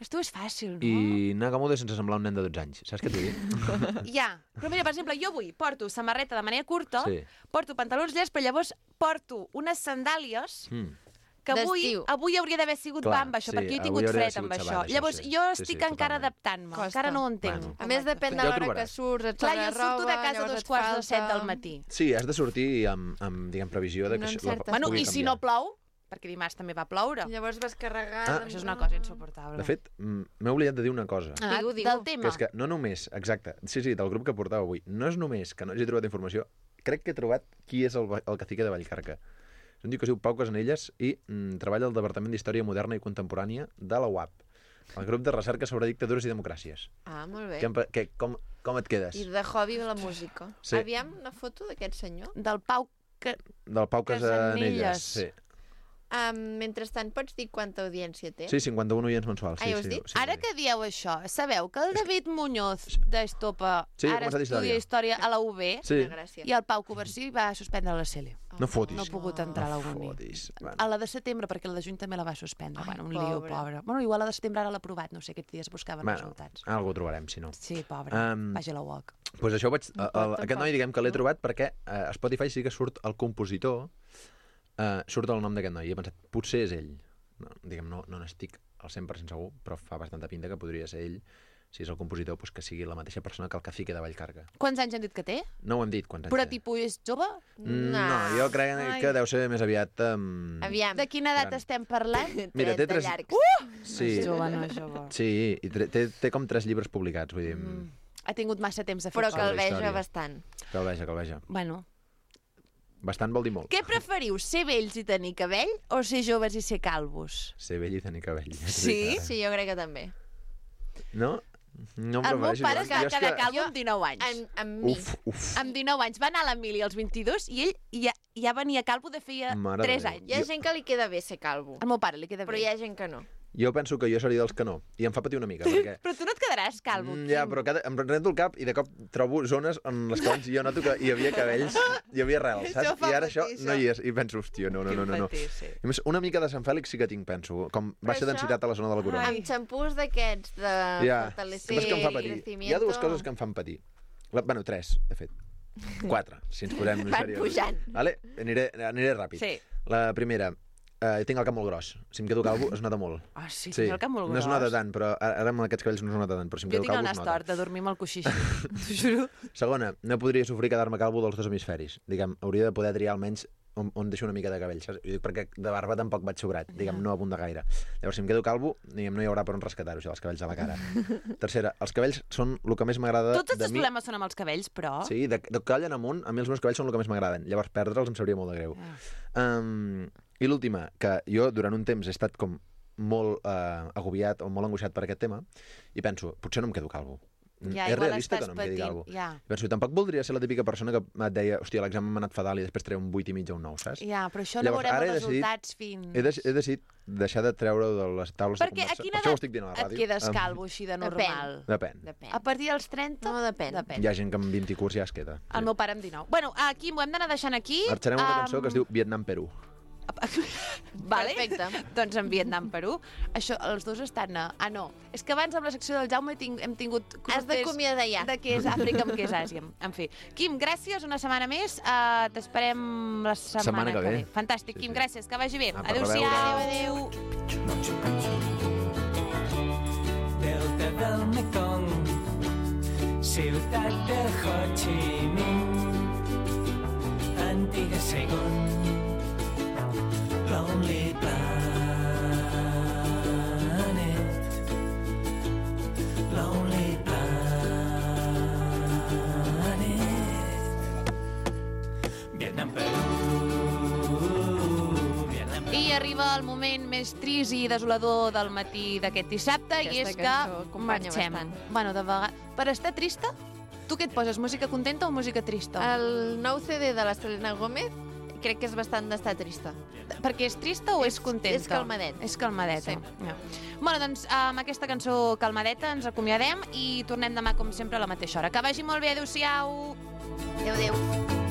L'estiu és fàcil, no? i anar gamuda sense semblar un nen de 12 anys. Saps què t'ho dic? Ja, però mira, per exemple, jo avui porto samarreta de manera curta, Sí. porto pantalons llargs, però llavors porto unes sandàlies que D'estiu. avui hauria d'haver sigut Clar, amb això, sí, perquè jo he avui tingut hauria d'haver fred amb sigut això. sabat, això, Llavors, sí. jo Sí, estic sí, encara totalment. adaptant-me, Costa. encara no ho entenc. Bueno. A més, depèn de Ja ho l'hora que trobaràs. surts, ets Clar, a la jo surto de roba, casa a llavors dos et quarts de falta. 7 del matí. Sí, has de sortir amb diguem, previsió de que No això encertes. Bueno, pugui i si canviar. no plou, perquè dimarts també va ploure. Llavors vas carregant... Això és una cosa insuportable. De fet, m'he oblidat de dir una cosa. Digue-ho. Del tema. Que és que no només, exacte, sí, del grup que portava avui, no és només que no hagi trobat informació, crec que he trobat qui és el cacique de Vallcarca. És un tio que es diu Pau Casanelles i treballa al Departament d'Història Moderna i Contemporània de la UAP, el grup de recerca sobre dictadures i democràcies. Ah, molt bé. Com et quedes? I de hobby la música. Sí. Aviam una foto d'aquest senyor. Del Pau... Del Pau Casanelles, Casanelles. sí. Mentrestant, pots dir quanta audiència té? Sí, 51 oients mensuals. Ah, ja ho has dit? Ara que dieu això, sabeu que el David Muñoz d'Estopa Sí, ha ara començat estudia història a la UB Sí. Gràcies. i el Pau Coversí va suspendre la CL. No fotis. No ha pogut entrar a la uni. Fotis. A la de setembre, perquè la de juny també la va suspendre. Ai, Bueno, un lío, pobre. pobre. Bueno, igual la de setembre ara l'ha aprovat, no sé, aquests dies buscaven resultats. Algú ho trobarem, si no. Sí, pobre. Vagi a la UOC. Pues això ho vaig... No pot, Aquest noi, diguem que l'he trobat perquè a Spotify sí que surt el compositor, surt el nom d'aquest noi, i he pensat, potser és ell. No, diguem, no n'estic al 100% segur, però fa bastanta pinta que podria ser ell, si és el compositor, pues que sigui la mateixa persona que el cacique de Vallcarca. Quants anys han dit que té? No ho hem dit, quants anys Però té. tipus és jove? No, jo crec que deu ser més aviat... Aviam. De quina edat Gran. estem parlant? Mira, té 30 tres- llargs. Sí, És jove, no és jove. sí, i té com 3 llibres publicats, vull dir... Ha tingut massa temps de fer Però coses. calveja història. bastant. Calveja. Bueno, Bastant vol dir molt. què preferiu, ser vells i tenir cabell o ser joves i ser calvos? Ser vell i tenir cabell. Sí? Sí, jo crec que també. No? No em El meu prefereixo. pare es va Jo és quedar que- calvo amb 19 anys. Amb mi. Uf. Amb 19 anys va anar a l'Emili als 22 i ell ja venia calvo de feia Mare de 3 Déu. anys. Hi ha gent que li queda bé ser calvo, Al meu pare li queda però bé. hi ha gent que no. Jo penso que jo seria dels que no. I em fa patir una mica, perquè... Però tu no et quedaràs calvo. Ja, però em rento el cap i de cop trobo zones en les quals jo noto que hi havia cabells, hi havia rels, Això saps? fa I ara patir, això no hi és. I penso, hòstia, no. patir, sí. A més, una mica de Sant Fèlix sí que tinc, penso. Com baixa això- densitat a la zona de la corona. Amb xampús d'aquests de Ja, fortalecer saps que em fa patir? crecimiento. Hi ha dues coses que em fan patir. Bueno, 3, de fet. 4, si ens posem Van seriosos. pujant. Vale? Aniré ràpid. Sí. La primera, tinc el cap molt gros. Si em quedo calvo, es nota molt. Ah, sí, tens el cap molt no gros. es nota tant, però ara amb aquests cabells no es nota tant, però si em Jo quedo tinc el calvo nas es nota. tort de dormir amb el coixí. T'ho juro. Segona, no podria sofrir quedar-me calvo dels dos hemisferis. Diguem, hauria de poder triar almenys on deixo una mica de cabell, saps? Ho dic perquè de barba tampoc vaig sobrat, diguem, no abunda gaire. Llavors, si em quedo calvo, diguem, no hi haurà per on rescatar-ho, això, els cabells a la cara. Tercera, els cabells són el que més m'agrada Tots els de teus mi. problemes són amb els cabells, però... Sí, de coll en amunt, a mi els meus cabells són el que més m'agraden. Llavors, perdre'ls em sabria molt de greu. I l'última, que jo durant un temps he estat com molt agobiat o molt angoixat per aquest tema, i penso, potser no em quedo calvo. Ja, És igual realista que estàs no em quedi patint, calvo. ja. I penso, tampoc voldria ser la típica persona que et deia, hòstia, l'examen m'ha anat fatal i després treu un 8,5 o un 9, saps? Ja, però això no Llavors, veurem ara els he decidit- resultats fins... He decidit deixar de treure de les taules Perquè de a conversa. quina Per això ho edat estic dient a la et ràdio. quedes calvo així de normal? Depèn. Depèn. A partir dels 30? No, depèn. Hi ha gent que amb 20 i curs ja es queda. El meu pare amb 19. Bueno, aquí m'ho hem d'anar deixant aquí. Marxarem una cançó que es diu Vietnam-Perú. Vale? Perfecte. Doncs en Vietnam, Perú. Això, els dos estan a... Ah, no. És que abans amb la secció del Jaume hem tingut... Has d'acomiadar ja. De què és Àfrica amb què és Àsia. En fi. Quim, gràcies una setmana més. T'esperem la setmana que ve. Fantàstic, Sí, Quim, sí. gràcies. Que vagi bé. Apa, a Adéu-siau. reveure. Delta del Mekong, ciutat de Ho Chi Minh, antiga Saigon, Lonely Planet, Lonely Planet, Vietnam, Perú, Vietnam, I arriba el moment més trist i desolador del matí d'aquest dissabte, i és Aquesta que cançó acompanya marxem. bastant. Bueno, de vegades... Per estar trista, tu què et poses? Música contenta o música trista? El nou CD de la Selena Gómez crec que és bastant d'estar trista. Perquè és trista o és contenta? és calmadet. És calmadeta. Sí. Ja. Bueno, doncs amb aquesta cançó calmadeta ens acomiadem i tornem demà, com sempre, a la mateixa hora. Que vagi molt bé, adéu-siau! Adéu, adéu.